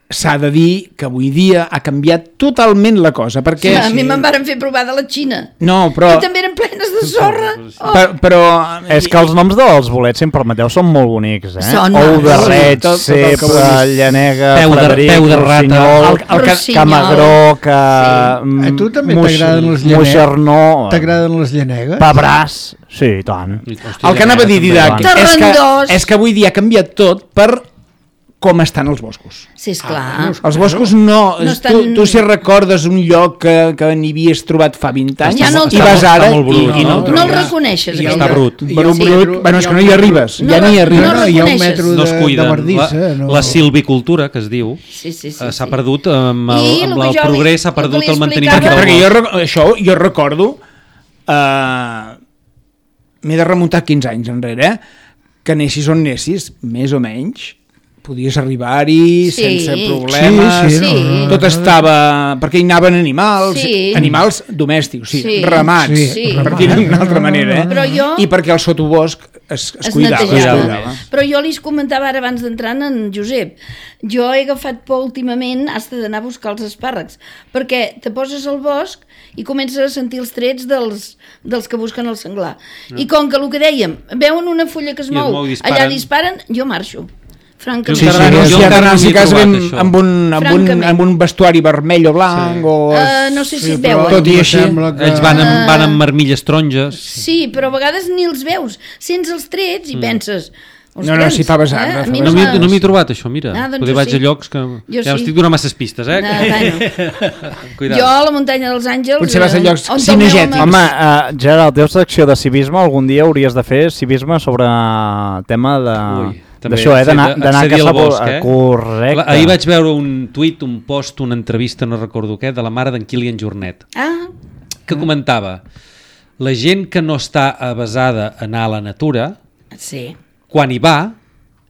s'ha de dir que avui dia ha canviat totalment la cosa, perquè... a mi me'n varen fer provar de la Xina. No, però... I també eren plenes de sorra. Oh. Per, però... És que els noms dels bolets, si em permeteu, són molt bonics, eh? Són Ou de macos. reig, Tot- tot el que cep, vulguis. llanega, Peu de- Frederic, peu de rata. rossinyol, El- el que- Rossinyol. camagró, que... Sí. mm, A tu també moix- t'agraden les llanegues? Moixernó, T'agraden les llanegues? pebràs, sí, i tant. Hòstia, El que anava a dir, també, Didac, va. és que, Terrandós. és que avui dia ha canviat tot per com estan els boscos. Sí, esclar. Els boscos no... No estan- tu, tu si recordes un lloc que, que n'hi havies trobat fa vint anys Ja no el i vas trobes. ara Està molt brut, i, i no, no? el No trobes. el reconeixes, I aquell està lloc. brut. I hi ha Brut, un brut. metro- Bueno, és hi ha que no un hi metro- arribes, No ja re- n'hi no arribes. No, hi ha un reconeixes. metro No es de, de cuiden. bardissa. La, no. la silvicultura, que es diu, Sí, sí, sí. eh, s'ha sí. perdut amb el, I el amb que el jo li- progrés, s'ha el que perdut li el manteniment explicava- del Perquè jo, bosc. rec- això jo recordo, eh, m'he de remuntar quinze anys enrere, eh, que anessis on anessis, més o menys, podies arribar-hi Sí. sense problemes, Sí, sí, no, no, no, tot estava... perquè hi anaven animals, Sí. animals domèstics, sí, Sí. ramats, Sí. per dir-ho d'una altra manera, eh? Però jo- i perquè el sotobosc es, es, es cuidava. netejava. Es cuidava. Però jo li comentava ara abans d'entrar en Josep, jo he agafat por últimament, has d'anar a buscar els espàrrecs, perquè te poses al bosc i comences a sentir els trets dels, dels que busquen el senglar. I com que el que dèiem, veuen una fulla que es I es mou, mou i disparen. allà disparen, jo marxo. Francament. Sí, sí, Jo encara no- sí, jo sí, encara no si m'hi he cas trobat, amb, això. amb, un, amb, un, Francament. amb un vestuari vermell o blanc Sí. o... Uh, no sé si et però veuen. Tot i em així, sembla que- Ells van Ah. amb, van amb marmilles taronges. Sí, però a vegades ni els veus. Sents els trets i penses... No, no, si fa basar, eh? no A fa mi No m'ha- m'hi no m'hi he trobat, això, mira. Ah, doncs Poder jo vaig sí. a llocs que... Jo ja sí. estic donant masses pistes, eh? No, bueno. Cuidado. Jo a la muntanya dels Àngels... Potser vas a eh, llocs on cinegètics. el meu Home, home- uh, Gerard, teva secció de civisme, algun dia hauries de fer civisme sobre tema de... Ui, també d'això, eh? D'anar accedir- d'anar a accedir caçar... al bosc, bo- eh? Correcte. Clar, ahir vaig veure un tuit, un post, una entrevista, no recordo què, de la mare d'en Kilian Jornet, Ah, que comentava la gent que no està avasada a anar a la natura, sí. quan hi va,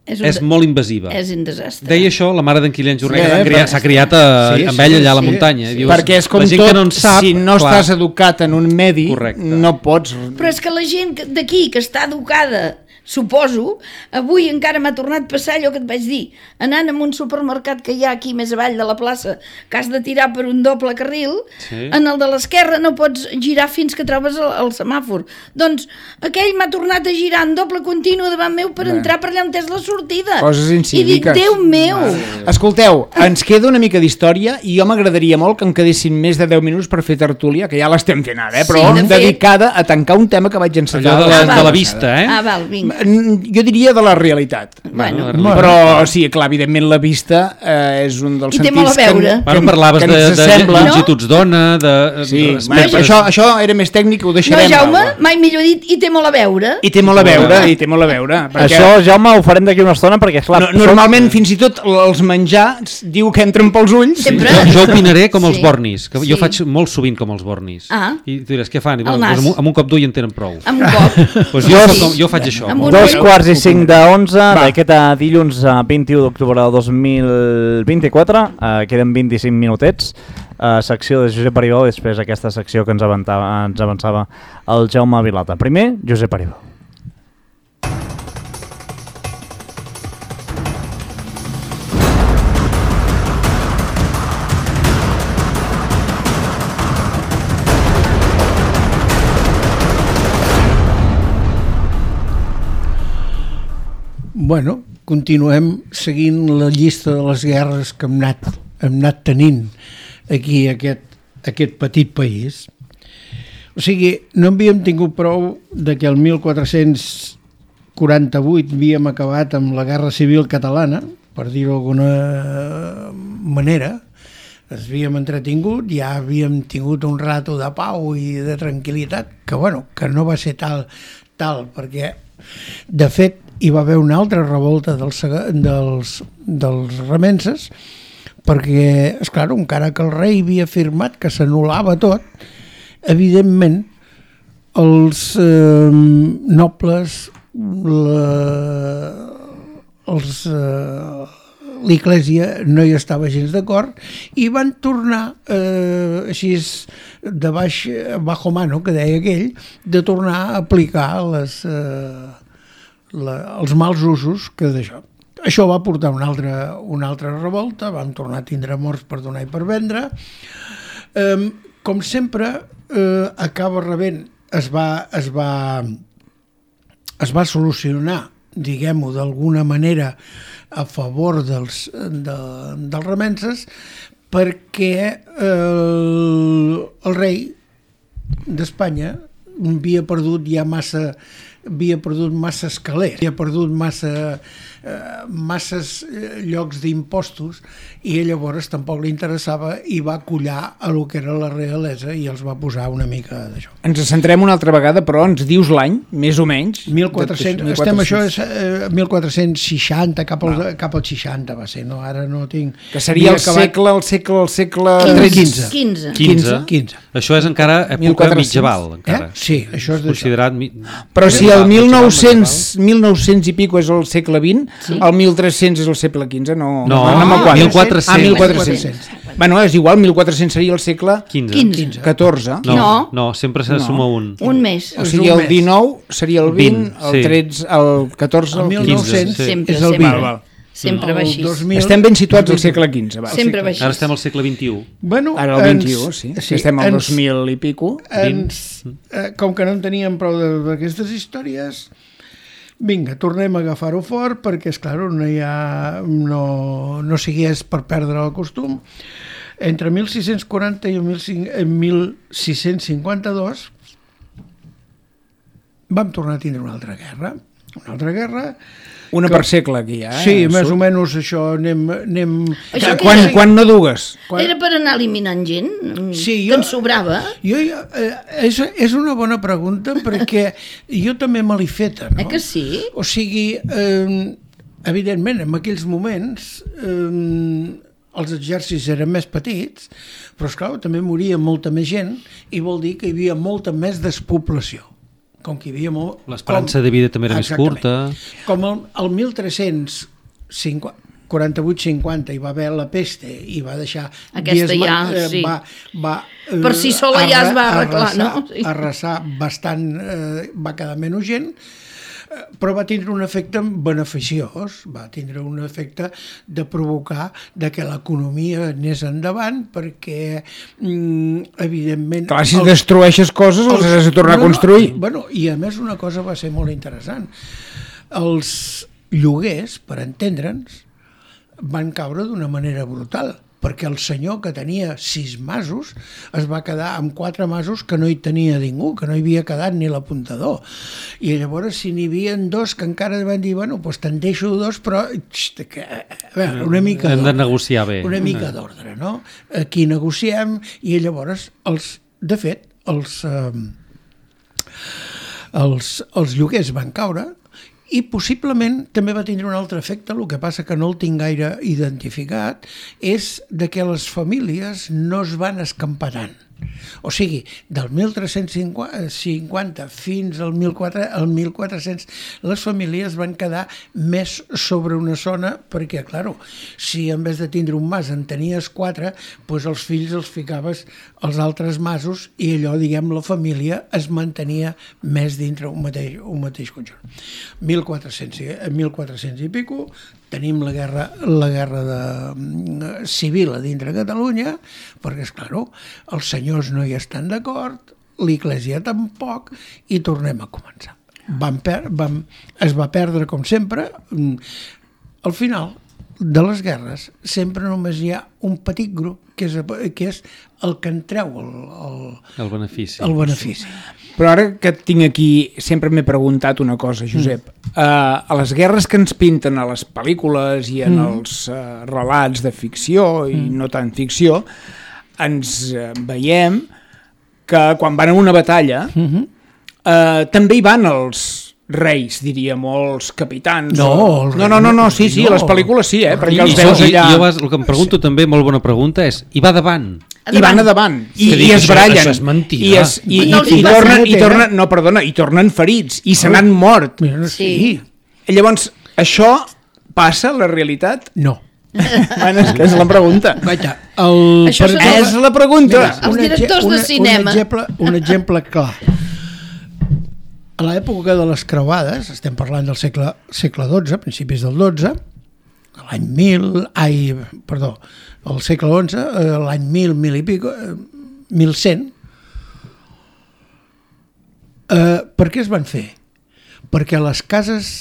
És, és un... molt invasiva. És un desastre. Deia això la mare d'en Kilian Jornet, Sí, que eh, criat, s'ha criat a, sí, amb sí, ell allà a la sí, muntanya. sí. Dius, Perquè és com la gent tot, que no en sap, si no clar, estàs educat en un medi, Correcte. no pots... Però és que la gent que- d'aquí, que està educada, suposo, avui encara m'ha tornat a passar allò que et vaig dir, anant a un supermercat que hi ha aquí més avall de la plaça, que has de tirar per un doble carril, Sí. en el de l'esquerra no pots girar fins que trobes el, el semàfor. Doncs aquell m'ha tornat a girar en doble continu davant meu per Bé. entrar per allà on és la sortida. Coses I dic, incíviques. Déu meu! Escolteu, ens queda una mica d'història i jo m'agradaria molt que em quedessin més de deu minuts per fer tertúlia, que ja l'estem fent ara, eh? però Sí, de fet. dedicada a tancar un tema que vaig encetar. allò de la, Ah, de la val. vista, eh? Ah, val, vinga. Mm, Jo diria de la realitat. Bueno, Bueno, Però sí, clar, evidentment la vista eh, és un dels I té sentits molt a veure. que, Bueno, parlaves que de, ens de sembla. longituds d'ona, de... Sí, de bueno, espectres. això, això era més tècnic, ho No, deixarem. Jaume, Alba. mai millor dit, i té molt a veure. I té molt a veure, i té molt a veure. Perquè Això, Jaume, ho farem d'aquí una estona perquè, esclar... no, normalment, fins i tot els menjars diu que entren pels ulls. Sempre. Jo, jo opinaré com els Sí. bornis, que Sí. jo faig molt sovint com els bornis. Ah. I tu diràs, què fan? I, El bueno, nas. doncs, amb, un, amb un cop d'ull en tenen prou. Amb un cop. Pues jo, soc com, jo faig això. Amb un Dos ull. quarts i cinc d'onze Va. d'aquest eh, dilluns eh, vint-i-u d'octubre de dos mil vint-i-quatre. Eh, queden vint-i-cinc minutets. Eh, secció de Josep Aribau i després aquesta secció que ens avançava, ens avançava el Jaume Vilata. Primer, Josep Aribau. Bueno, continuem seguint la llista de les guerres que hem anat, hem anat tenint aquí, aquest, aquest petit país. O sigui, no havíem tingut prou de que el mil quatre-cents quaranta-vuit havíem acabat amb la Guerra Civil Catalana, per dir-ho d'alguna manera, ens havíem entretingut, ja havíem tingut un rato de pau i de tranquil·litat, que bueno, que no va ser tal, tal perquè de fet hi va haver una altra revolta dels, dels, dels remenses, perquè, esclar, encara que el rei havia afirmat que s'anul·lava tot, evidentment els eh, nobles, la, els, eh, l'Església no hi estava gens d'acord i van tornar eh, així de baix, bajo mano, que deia aquell, de tornar a aplicar les, eh, la, els mals usos que d'això. Això va portar una altra, una altra revolta, vam tornar a tindre morts per donar i per vendre. Eh, com sempre, eh, acaba rebent, es va, es va, es va solucionar, diguem-ho d'alguna manera, a favor dels, de, dels remenses, perquè eh, el rei d'Espanya havia perdut ja massa havia perdut massa escalers, havia perdut massa eh, masses llocs d'impostos i llavors tampoc li interessava i va collar a lo que era la realesa i els va posar una mica d'això. Ens centrem una altra vegada, però ens dius l'any, més o menys. mil quatre-cents, estem això és eh, mil quatre-cents seixanta, cap al, cap al seixanta va ser, no? Ara no tinc... Que seria el acabat... segle, el segle, el segle... quinze. quinze. quinze. quinze. Això és encara època mil quatre-cents. mitjaval, Eh? encara. Sí, això és d'això. Considerat... Mi... Però si el Mitjaval, mil nou-cents, mitjaval. mil nou-cents i pico és el segle vint, Sí. el mil tres-cents és el segle quinze, no, No, no me quadra. mil quatre-cents. Ah, mil mil quatre-cents. quatre-cents. Bueno, és igual, mil quatre-cents seria el segle quinze. quinze. catorze. No, No. no, sempre se No. suma un. Un mes. O sigui, el dinou seria el vint, vint, el sí. tretze, el catorze, El el mil quinze. nou-cents sí. Sempre, és el sempre. vint. Val, val. Sempre va El així. dos mil Estem ben situats al segle quinze. Va. Sempre va així. Ara estem al segle vint-i-u. Bueno, Ara el ens- vint-i-u, sí. sí estem al ens- dos mil i pico. ens, eh, com que no en teníem prou de- d'aquestes històries, vinga, tornem a agafar-ho fort perquè, és clar, no hi ha, no, no sigués per perdre el costum. Entre mil sis-cents quaranta i el mil sis-cents cinquanta-dos vam tornar a tindre una altra guerra. Una altra guerra... Una que- per segle aquí, ja. Eh? Sí, més Surt. o menys això anem... anem... Això que Quan, era- quan no dugues? Quan- Era per anar eliminant gent? Sí, que jo- ens sobrava? Jo, eh, és, és una bona pregunta perquè jo també me l'he feta, no? Eh que sí? O sigui, eh, evidentment, en aquells moments eh, els exèrcits eren més petits, però esclar, també moria molta més gent i vol dir que hi havia molta més despoblació. com que hi havia molt... L'esperança de vida també era més curta. Com el, el mil tres-cents quaranta-vuit cinquanta hi va haver la peste i va deixar... Aquesta dies, ja, eh, sí. Va, va, eh, per si sola ja es va arreglar, arrasar, no? Sí. Arrasar bastant, eh, va quedar menys gent, eh, però va tindre un efecte beneficiós, va tindre un efecte de provocar de que l'economia anés endavant, perquè, mm, evidentment... Clar, si els, destrueixes coses, els, els has de tornar no, a construir. No, bueno, i a més una cosa va ser molt interessant. Els lloguers, per entendre'ns, van caure d'una manera brutal, perquè el senyor que tenia sis masos es va quedar amb quatre masos que no hi tenia ningú, que no hi havia quedat ni l'apuntador. I llavors, si n'hi havia dos que encara van dir, bueno, doncs te'n deixo dos, però xt, que, a veure, una mica hem de negociar bé. Una mica d'ordre, no? Aquí negociem i llavors, els, de fet, els, eh, els, els lloguers van caure. I possiblement també va tindre un altre efecte, el que passa que no el tinc gaire identificat, és de que les famílies no es van escampar tant. O sigui, del mil tres-cents cinquanta fins al mil quatre-cents, les famílies van quedar més sobre una zona, perquè, clar, si en vez de tindre un mas en tenies quatre, doncs els fills els ficaves als altres masos i allò, diguem, la família es mantenia més dintre un mateix, un mateix conjunt. mil quatre-cents i pico, tenim la guerra, la guerra de, civil a dintre Catalunya, perquè, esclar, els senyors no hi estan d'acord, l'Església tampoc, i tornem a començar. Vam per, vam, es va perdre, com sempre. Al final de les guerres sempre només hi ha un petit grup, que és, que és el que en treu el, el, el benefici. El benefici. Però ara que et tinc aquí, sempre m'he preguntat una cosa, Josep. Mm. Uh, a les guerres que ens pinten a les pel·lícules i en mm. els uh, relats de ficció i mm. no tant ficció, ens uh, veiem que quan van a una batalla mm-hmm. uh, també hi van els reis, diríem, o els capitans. No, o... el no, no, no, no, sí, sí, no. les pel·lícules sí, eh, perquè I, els i, veus allà... I jo vas, el que em pregunto també, molt bona pregunta, és, i va davant? I van a davant, i, i es barallen. Això és mentida. I, es, i, no, i, i, tornen, i tornen, no, perdona, i tornen ferits, i se n'han mort. Sí. I llavors, això passa a la realitat? No. Bueno, és que és la pregunta. Vaja, el... Això per... és la pregunta. Mira, els directors de cinema. Un exemple, un exemple clar. A l'època de les creuades, estem parlant del segle, segle dotze, principis del dotze, l'any mil, ai, perdó, el segle onze, l'any mil, mil i pico, mil cent, eh, per què es van fer? Perquè les cases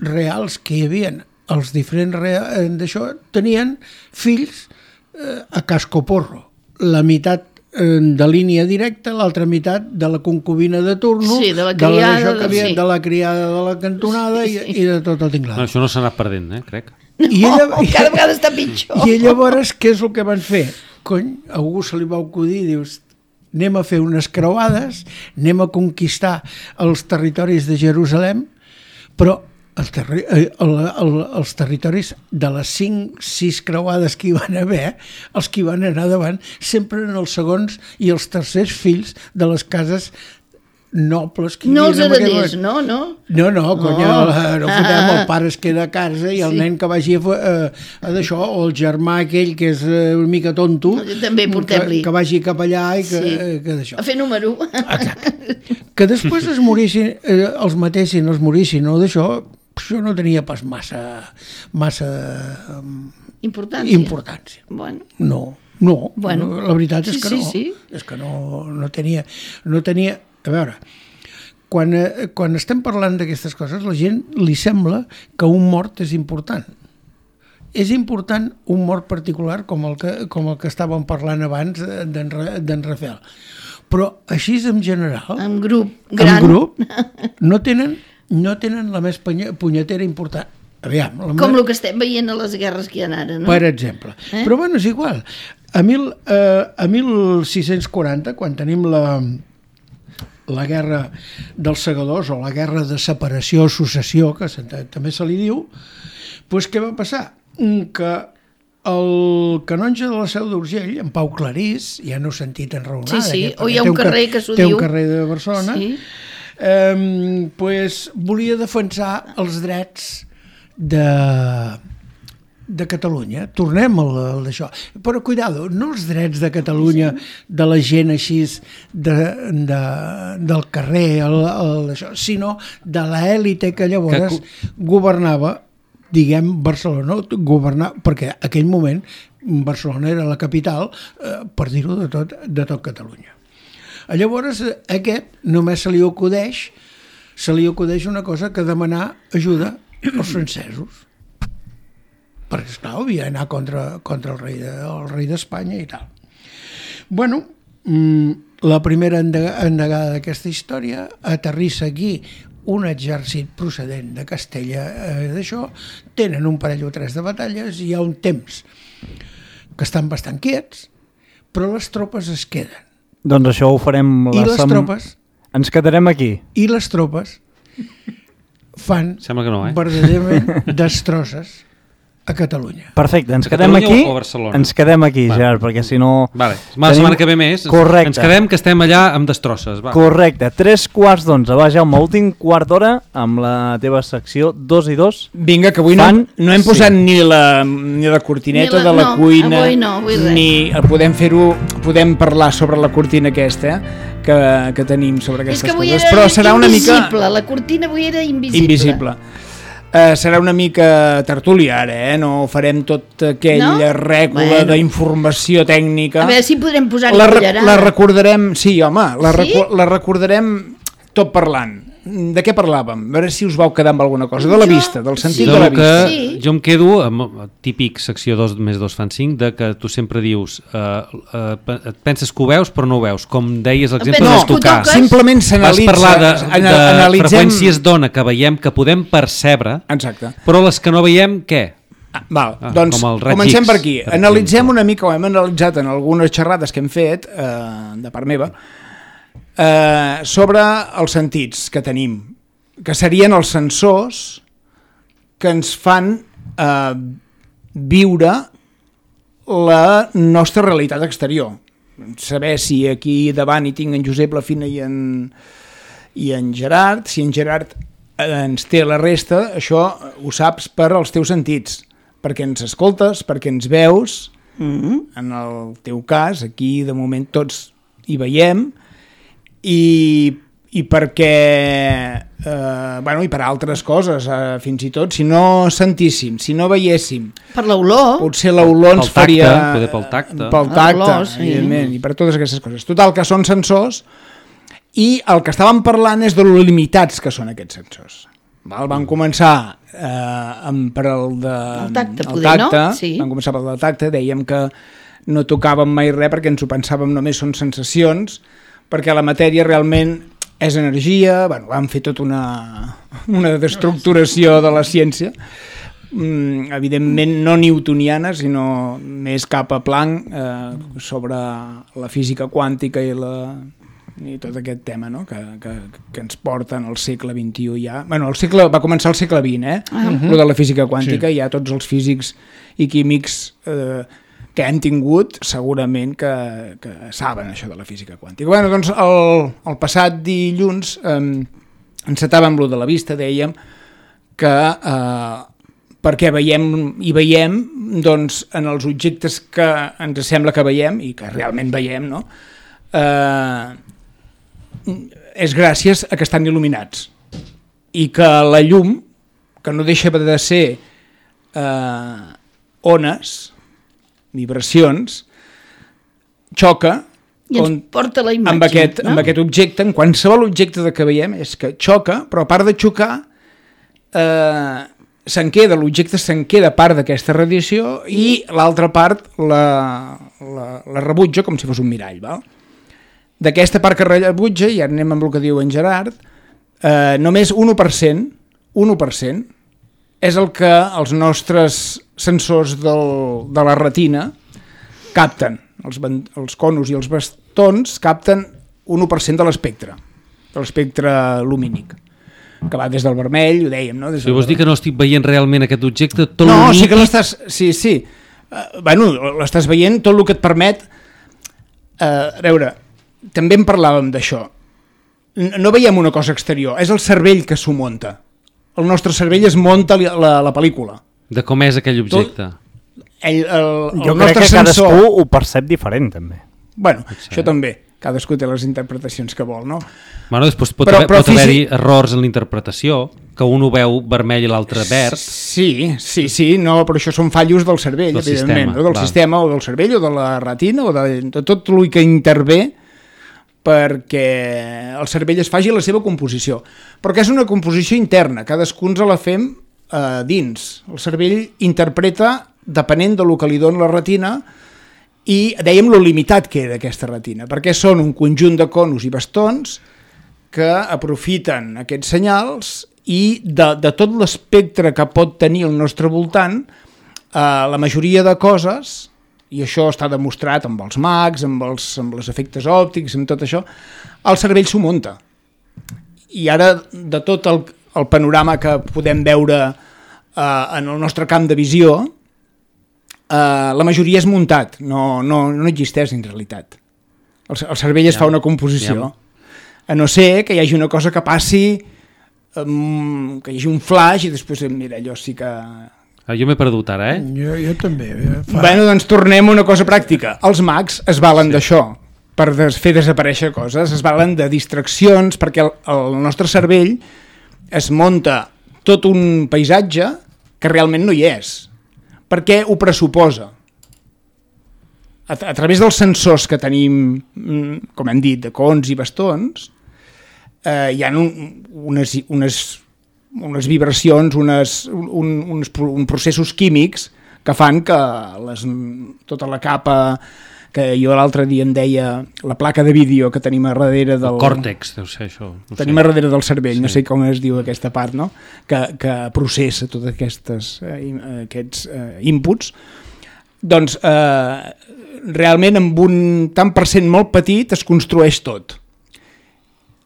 reals que hi havia, els diferents reals d'això, tenien fills eh, a cascoporro, la meitat de línia directa, l'altra meitat de la concubina de turno, sí, de la criada, de, la, havia, sí. de la criada de la cantonada sí, sí. I, i de tot el tinglado. No, això no s'ha anat perdent, eh, crec. No, I ella, cada vegada està pitjor. I llavors, què és el que van fer? Cony, a algú se li va acudir, dius, anem a fer unes creuades, anem a conquistar els territoris de Jerusalem, però el terri el, el, els territoris de les cinc, sis creuades que hi van haver, els que hi van anar davant, sempre eren els segons i els tercers fills de les cases nobles que hi no els havia. hereders, no, no? No, no, conya, Oh. no, no fotem, el pare es queda a casa i el Sí. nen que vagi a, a, a d'això, o el germà aquell que és una mica tonto, També portem-li. que, que vagi cap allà i que, Sí. eh, que d'això. A fer número. Exacte. Que després es morissin, eh, els matessin, els morissin, no d'això, això no tenia pas massa, massa um, Importància. importància. Bueno. No, no, Bueno. no, la veritat és Sí, que sí, no. sí. És que no, no tenia, no tenia... A veure, quan, eh, quan estem parlant d'aquestes coses, la gent li sembla que un mort és important. És important un mort particular com el que, com el que estàvem parlant abans d'en Rafael. Però així en general, En grup gran. en grup, no tenen, no tenen la més punyetera important. Aviam, la Com me... el que estem veient a les guerres que hi ha ara, no? Per exemple. Eh? Però bueno, és igual. A, mil, eh, a mil sis-cents quaranta, quan tenim la, la guerra dels segadors, o la guerra de separació o successió, que se, també se li diu, doncs què va passar? Que el canonge de la Seu d'Urgell, en Pau Clarís, ja no he sentit enraonada, Sí, sí, aquest, o hi ha té un carrer car que s'ho té diu. un carrer de Barcelona, Sí. Eh, pues, volia defensar els drets de, de Catalunya. Tornem al, al d'això. Però, cuidado, no els drets de Catalunya, de la gent així de, de, del carrer, el, el, això, sinó de l'èlite que llavors que... governava, diguem, Barcelona, governar, perquè en aquell moment Barcelona era la capital, eh, per dir-ho de tot, de tot Catalunya. Llavors, aquest només se li acudeix, se li acudeix una cosa que demanar ajuda als francesos. Perquè, esclar, havia d'anar contra, contra el rei de, el rei d'Espanya i tal. Bueno, la primera endegada d'aquesta història aterrissa aquí un exèrcit procedent de Castella, eh, d'això, tenen un parell o tres de batalles i hi ha un temps que estan bastant quiets, però les tropes es queden. Doncs això ho farem... I les sem... tropes... Ens quedarem aquí. I les tropes fan Sembla que no, eh? verdaderament destrosses a Catalunya. Perfecte, ens a quedem Catalunya aquí, o Barcelona? ens quedem aquí, vale. Gerard, perquè si no... Vale. La setmana que ve més, Correcte. Ens quedem que estem allà amb destrosses. Va. Correcte, tres quarts d'onze. Va, Jaume, últim quart d'hora amb la teva secció dos i dos. Vinga, que avui Fan... no, no hem posat sí. ni, la, ni la cortineta ni la, de la no, cuina, avui no, avui res. ni podem fer-ho, podem parlar sobre la cortina aquesta, eh, que, que tenim sobre aquestes És que avui coses, era però serà una mica... invisible, la cortina avui era invisible. Invisible. Uh, serà una mica tertúlia ara, eh? No farem tot aquella no? rècula bueno. d'informació tècnica. A veure si podrem posar-hi la, cullerada. la recordarem, sí, home, la, sí? recu la recordarem tot parlant. De què parlàvem? A veure si us vau quedar amb alguna cosa. De la Jo- vista, del sentit sí. de la Que vista. Sí. jo em quedo amb típic secció dos més dos fan cinc, de que tu sempre dius uh, uh, et penses que ho veus però no ho veus, com deies l'exemple penses de que ho tocar. toques? Simplement Vas s'analitza... parlar de, ana- de analitzem... freqüències d'ona que veiem, que podem percebre, Exacte. però les que no veiem, què? Ah, val, Ah, doncs com el raig comencem X, per aquí. per Analitzem exemple. una mica, ho hem analitzat en algunes xerrades que hem fet, eh, de part meva, eh, sobre els sentits que tenim, que serien els sensors que ens fan eh, viure la nostra realitat exterior. Saber si aquí davant hi tinc en Josep, la Fina i en, i en Gerard, si en Gerard ens té la resta, això ho saps per als teus sentits, perquè ens escoltes, perquè ens veus, Mm-hmm. en el teu cas, aquí de moment tots hi veiem, i, i perquè, eh, bueno, i per altres coses, eh, fins i tot, si no sentíssim, si no veiéssim, Per l'olor. potser l'olor ens Pel tacte, faria... poder pel tacte. Pel tacte, L'olor, sí. evidentment, i per totes aquestes coses. Total, que són sensors, i el que estàvem parlant és de lo limitats que són aquests sensors. Val? Vam començar eh, amb, per el de... El tacte, el poder, no? tacte, Sí. Vam començar per el del tacte, dèiem que no tocàvem mai res perquè ens ho pensàvem només són sensacions, perquè la matèria realment és energia, bueno, vam fer tota una, una destructuració de la ciència, mm, evidentment no newtoniana, sinó més cap a Planck, eh, sobre la física quàntica i, la, i tot aquest tema, no? que, que, que ens porta en el segle vint-i-u ja. Bueno, el segle, va començar al segle vint, eh? Uh -huh. Lo de la física quàntica, sí. Ja tots els físics i químics eh, que hem tingut segurament que, que saben això de la física quàntica. Bueno, doncs el, el passat dilluns eh, encetàvem lo de la vista, dèiem que eh, perquè veiem i veiem doncs, en els objectes que ens sembla que veiem i que realment veiem, no? Eh, és gràcies a que estan il·luminats i que la llum, que no deixa de ser eh, ones, vibracions, xoca I ens on, porta la imatge. amb, aquest, no? amb aquest objecte, en qualsevol objecte de que veiem, és que xoca, però a part de xocar, eh, se'n queda, l'objecte se'n queda part d'aquesta radiació i l'altra part la, la, la rebutja com si fos un mirall, val? D'aquesta part que rebutja, i ara anem amb el que diu en Gerard, eh, només un u per cent, un u per cent és el que els nostres sensors del, de la retina capten. Els, els conos i els bastons capten un u per cent de l'espectre, de l'espectre lumínic, que va des del vermell, ho dèiem, no? Des Si vols dir que no estic veient realment aquest objecte, tot no, l'únic... sí que l'estàs... Sí, sí. Uh, bueno, l'estàs veient, tot el que et permet... Uh, a veure, també en parlàvem d'això. no veiem una cosa exterior, és el cervell que s'ho munta. El nostre cervell es munta la, la, la pel·lícula. De com és aquell objecte. Ell, el, el Jo crec nostre que sensor... cadascú ho percep diferent, també. Bueno, Potser. això també. Cadascú té les interpretacions que vol, no? Bueno, després pot, Però- haver, però pot haver-hi físic- errors en la interpretació, que un ho veu vermell i l'altre verd. Sí, sí, sí, no, però això són fallos del cervell, Del evidentment, sistema, no? del clar. sistema o del cervell o de la retina o de, de tot el que intervé perquè el cervell es faci la seva composició. Però que és una composició interna, cadascú ens la fem eh, dins. El cervell interpreta depenent del que li dona la retina i dèiem lo limitat que era aquesta retina, perquè són un conjunt de conus i bastons que aprofiten aquests senyals i de, de tot l'espectre que pot tenir el nostre voltant, eh, la majoria de coses, i això està demostrat amb els mags, amb els, amb els efectes òptics, amb tot això, el cervell s'ho munta. I ara, de tot el, el panorama que podem veure eh, en el nostre camp de visió, Uh, la majoria és muntat, no, no, no existeix en realitat. El, el cervell es Ja, fa una composició. ja. A no ser que hi hagi una cosa que passi, um, que hi hagi un flash i després, mira, allò sí que... Ah, jo m'he perdut ara, eh? Jo, jo també. eh, Fa... Bueno, doncs tornem a una cosa pràctica. Els mags es valen sí. d'això, per des fer desaparèixer coses, es valen de distraccions, perquè el, el nostre cervell es munta tot un paisatge que realment no hi és. Perquè ho pressuposa. A, a través dels sensors que tenim, com hem dit, de cons i bastons, eh, hi ha un, unes, unes, unes vibracions, unes, un, uns, uns processos químics que fan que les, tota la capa que jo l'altre dia em deia, la placa de vídeo que tenim a darrere del... El còrtex, deu ser això. No tenim sé. a darrere del cervell, sí. No Sí. sé com es diu aquesta part, no? que, que processa tots aquestes, eh, aquests eh, inputs, doncs eh, realment amb un tant per cent molt petit es construeix tot.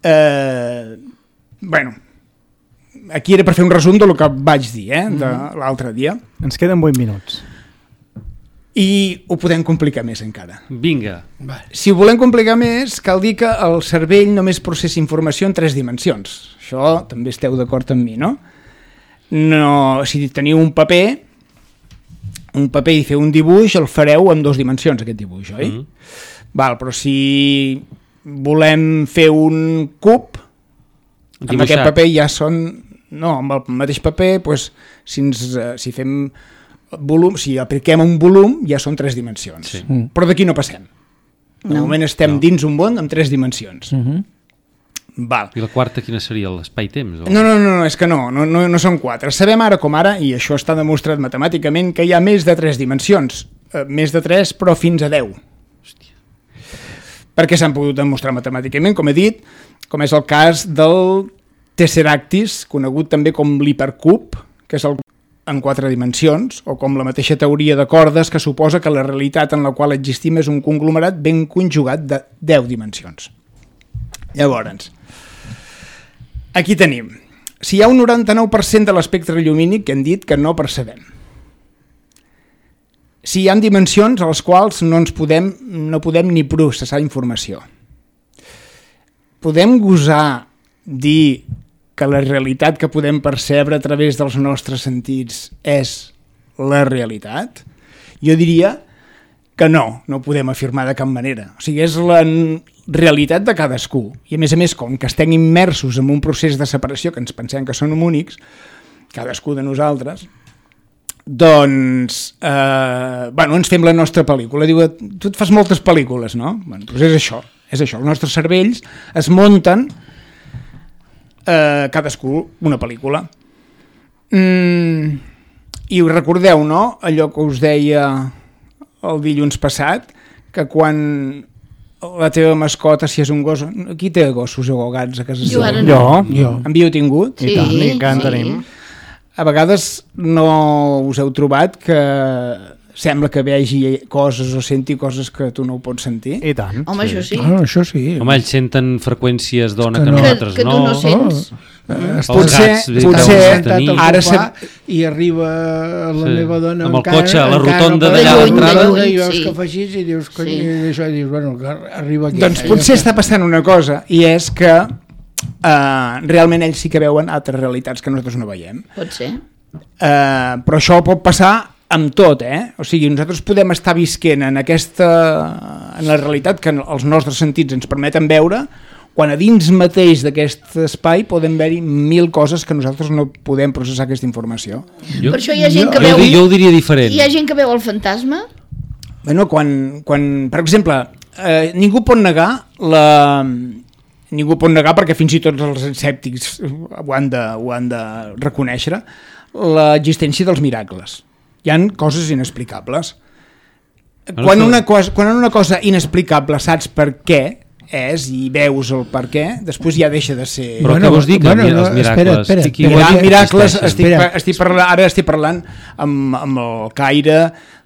Eh, bueno, aquí era per fer un resum del que vaig dir eh, de l'altre dia. Ens queden vuit minuts. I ho podem complicar més encara. Vinga. Si ho volem complicar més, cal dir que el cervell només processa informació en tres dimensions. Això també esteu d'acord amb mi, no? No, si teniu un paper, un paper i feu un dibuix, el fareu en dues dimensions, aquest dibuix, oi? Mm. Val, però si volem fer un cub, amb Dibuixat. aquest paper ja són... No, amb el mateix paper, doncs, si, ens, eh, si fem volum, si apliquem un volum, ja són tres dimensions. Sí. Mm. Però d'aquí no passem. De No. moment estem No. dins un món amb tres dimensions. Uh -huh. Val. I la quarta quina seria? L'espai-temps? O... No, no, no, no, és que no, no, no, no són quatre. Sabem ara com ara, i això està demostrat matemàticament, que hi ha més de tres dimensions. Eh, més de tres, però fins a deu. Hòstia. Perquè s'han pogut demostrar matemàticament, com he dit, com és el cas del Tesseractis, conegut també com l'hipercub, que és el en quatre dimensions, o com la mateixa teoria de cordes que suposa que la realitat en la qual existim és un conglomerat ben conjugat de deu dimensions. Llavors, aquí tenim, si hi ha un noranta-nou per cent de l'espectre llumínic que hem dit que no percebem. Si hi ha dimensions a les quals no ens podem, no podem ni processar informació. Podem gosar dir que la realitat que podem percebre a través dels nostres sentits és la realitat? Jo diria que no, no ho podem afirmar de cap manera. O sigui, és la realitat de cadascú. I a més a més, com que estem immersos en un procés de separació que ens pensem que són únics, cadascú de nosaltres, doncs, eh, bueno, ens fem la nostra pel·lícula. Diu, tu et fas moltes pel·lícules, no? Bueno, doncs és això, és això. Els nostres cervells es munten eh, cadascú una pel·lícula. Mm, I us recordeu, no?, allò que us deia el dilluns passat, que quan la teva mascota, si és un gos... Qui té gossos o gats a casa Jo seva? ara Jo, no. jo. En viu tingut? Sí, I tant, i que en sí. tenim. A vegades no us heu trobat que sembla que vegi coses o senti coses que tu no ho pots sentir? I tant. Home, això sí. Ah, això sí. Home, ells senten freqüències d'ona És que, que no. nosaltres Que- que tu no. no sents. Oh, Els Potser- gats, potser- potser, sentat al ara sofà se- i arriba la Sí. meva dona Amb el encara, cotxe a la encara rotonda per d'allà a la l'entrada. rotonda, De i lluny, veus sí. que fa així i dius, cony, Sí. i això, i dius, bueno, que arriba aquí. Doncs potser està passant una cosa, i és que eh, realment ells sí que veuen altres realitats que nosaltres no veiem. Pot ser. Eh, però això pot passar amb tot, eh? O sigui, nosaltres podem estar visquent en aquesta, en la realitat que els nostres sentits ens permeten veure, quan a dins mateix d'aquest espai poden haver-hi mil coses que nosaltres no podem processar aquesta informació. Jo, Per això hi ha gent que jo, veu... jo ho diria diferent. Hi ha gent que veu el fantasma? Bueno, quan, quan per exemple, eh, ningú pot negar la... Ningú pot negar, perquè fins i tot els escèptics ho han de, ho han de reconèixer, l'existència dels miracles. Hi han coses inexplicables. Quan una cosa, quan una cosa inexplicable saps per què és i veus el per què, després ja deixa de ser... Però Bueno, què vols dir que bueno, els no, miracles... espera, espera, estic espera. igual Mirar, que miracles, existeixen. estic, Espera. estic parlant, ara estic parlant amb, amb el caire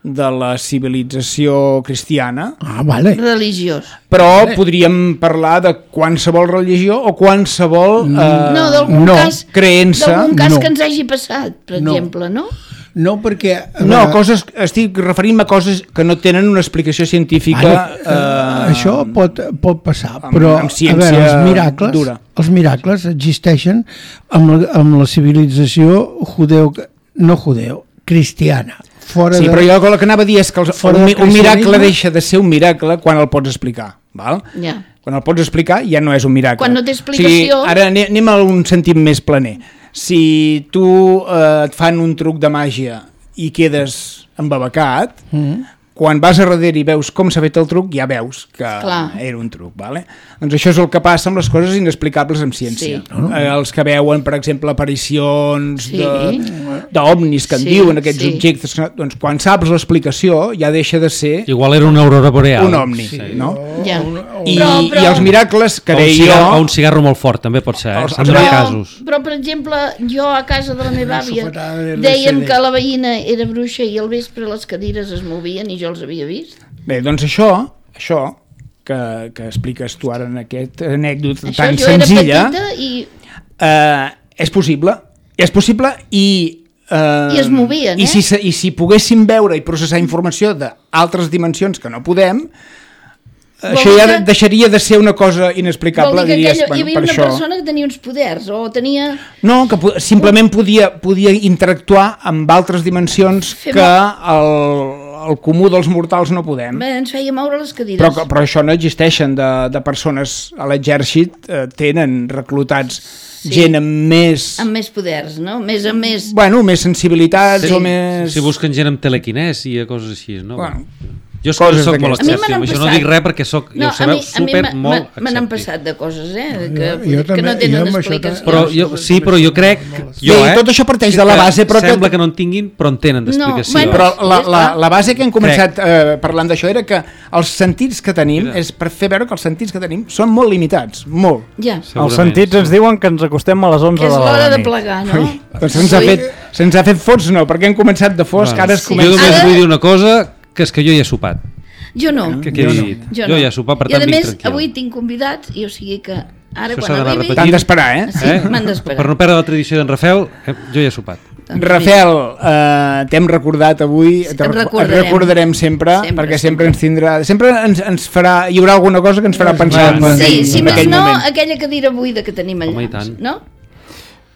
de la civilització cristiana, Ah, vale. Religiós. però podríem parlar de qualsevol religió o qualsevol eh, No, d'algun no, cas, creença. d'algun cas no. que ens hagi passat, per No. exemple, no? No, perquè... a No, veure, coses, estic referint-me a coses que no tenen una explicació científica. Bueno, eh, això pot, pot passar, amb- però amb a ciència veure, els miracles, dura. els miracles existeixen amb la, amb la civilització judeu, no judeu, cristiana. Fora Sí, de... però jo el que anava a dir és que els, Fora un, del un miracle cristianisme. deixa de ser un miracle quan el pots explicar. Val? Ja. Quan el pots explicar ja no és un miracle. Quan no té O sigui, explicació- ara anem, anem a un sentit més planer. Si tu eh, et fan un truc de màgia i quedes embabacat, Mm. quan vas a darrere i veus com s'ha fet el truc, ja veus que Clar. era un truc. Vale? Doncs això és el que passa amb les coses inexplicables en ciència. Sí. Eh, els que veuen, per exemple, aparicions Sí. de- d'ovnis que en Sí, diuen aquests sí. objectes, que- doncs quan saps l'explicació ja deixa de ser Igual era una aurora boreal. un ovni. Sí. No? Ja. I, Però- però- I els miracles que O un, deia cigarro, o jo... un cigarro molt fort, també pot ser, eh? Els- En els- hi ha Però, casos. però, per exemple, jo a casa de la meva àvia sofatada de dèiem l'L C D. que la veïna era bruixa i al vespre les cadires es movien i jo els havia vist. Bé, doncs això, això que, que expliques tu ara en aquest anècdota Això tan jo era senzilla, petita i... eh, és possible. És possible i... Eh, I es movien, i eh? si, se- I si poguéssim veure i processar informació d'altres dimensions que no podem, Vol això dir ja que- de- deixaria de ser una cosa inexplicable. Vol dir que diries, aquella, hi bueno, havia per una això... persona que tenia uns poders o tenia... No, que po- simplement podia, podia interactuar amb altres dimensions Fer que el, el comú dels mortals no podem. Bé, ens feia moure les cadires. Però, però això no existeixen de, de persones a l'exèrcit, eh, tenen reclutats Sí. gent amb més... Amb més poders, no? Més amb més... Bueno, més sensibilitats Sí. o més... Si busquen gent amb telequinèsia i coses així, no? Bueno, jo és coses que soc molt d'aquestes. A mi me escèptic, n'han això no passat. dic res perquè soc, ja ho sabeu, super m'ha- molt m'ha- me n'han escèptic. passat de coses, eh? Que, Jo- jo que també- no jo tenen amb això explicació. Però jo, sí, però jo crec... Jo, Bé, eh, tot això parteix de la base, però que- Sembla que no en tinguin, però en tenen d'explicació. No, bueno, Però la, Ja la, està. la base que hem començat eh, parlant d'això era que els sentits que tenim, Mira. és per fer veure que els sentits que tenim són molt limitats, molt. Ja, Els Segurament, sentits ens sí. diuen que ens acostem a les onze que és de l'hora la de nit. plegar, no? Doncs se'ns ha, Sí. fet, se'ns ha fet fots, no, perquè hem començat de fosc, Bueno, ara es Sí. Jo comença... només Ara- vull dir una cosa, que és que jo ja he sopat. Jo no. Que quedi dit. Jo, Jo no. ja he sopat, per I tant a vinc més, tranquil. avui tinc convidats i o sigui que ara Això s'ha quan d'anar arribi... repetint. T'han d'esperar, eh? Sí, m'han d'esperar. Per no perdre la tradició d'en Rafael, eh, jo ja he sopat. Doncs Rafael, eh, t'hem recordat avui, Sí, te et et recordarem. recordarem sempre, Sempre, perquè sempre, sempre. ens tindrà, sempre ens, ens farà, hi haurà alguna cosa que ens farà pensar en, Bueno, Sí, aquell, si en més aquell no, moment. aquella cadira buida que tenim allà. Home, i tant. No?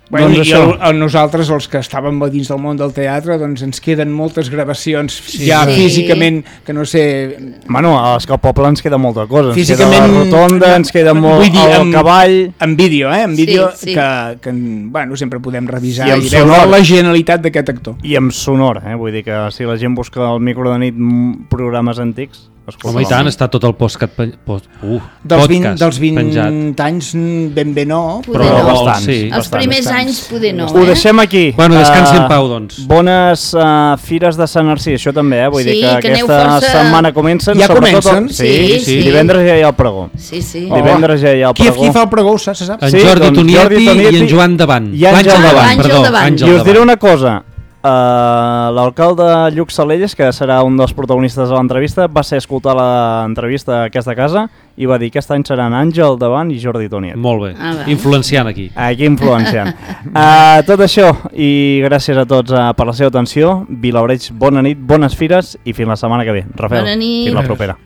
Bueno, Doncs I això. el, el, nosaltres, els que estàvem a dins del món del teatre, doncs ens queden moltes gravacions sí, ja Sí. físicament, que no sé... Bueno, és que al poble ens queda molta cosa. Ens Físicament- queda la rotonda, ens queda molt Vull dir, el amb- cavall... En vídeo, eh? En Sí, vídeo sí. que, que bueno, sempre podem revisar I i, amb i veure sonor. la genialitat d'aquest actor. I amb sonor, eh? Vull dir que si la gent busca al micro de nit mm, programes antics... Escolta, Home, i tant, està tot el podcast, pen... post... uh, Dels vint, podcast dels vint penjat. anys mm, ben bé no, Poder Però no. bastants. sí. Els bastants. primers bastants. anys poder no, Ho eh? deixem aquí. Bueno, descansi Eh, en pau, doncs. Bones uh, fires de Sant Narcís, això també, eh? Vull Sí, dir que, que aneu aquesta força- setmana comencen. Ja sobretot comencen? El... Sí, Sí, sí. Divendres ja hi ha el pregó. Sí, sí. Oh. Divendres ja hi ha el Qui, pregó. qui fa el pregó, se sap? En Sí, Jordi doncs Tonietti Jordi Tonietti i en Joan Davant. i Àngel Àngel Davant. Davant, perdó. Àngel Davant. Àngel I us diré Davant. una cosa, uh, l'alcalde Lluc Salelles, que serà un dels protagonistes de l'entrevista, va ser escoltar l'entrevista a aquesta casa i va dir que aquest any seran Àngel Davant i Jordi Tonietti. Molt bé, Ah, va. influenciant aquí. Aquí influenciant. uh, tot això, i gràcies a tots uh, per la seva atenció. Vilabreig, bona nit, bones fires i fins la setmana que ve. Rafael, Bona nit. fins la propera.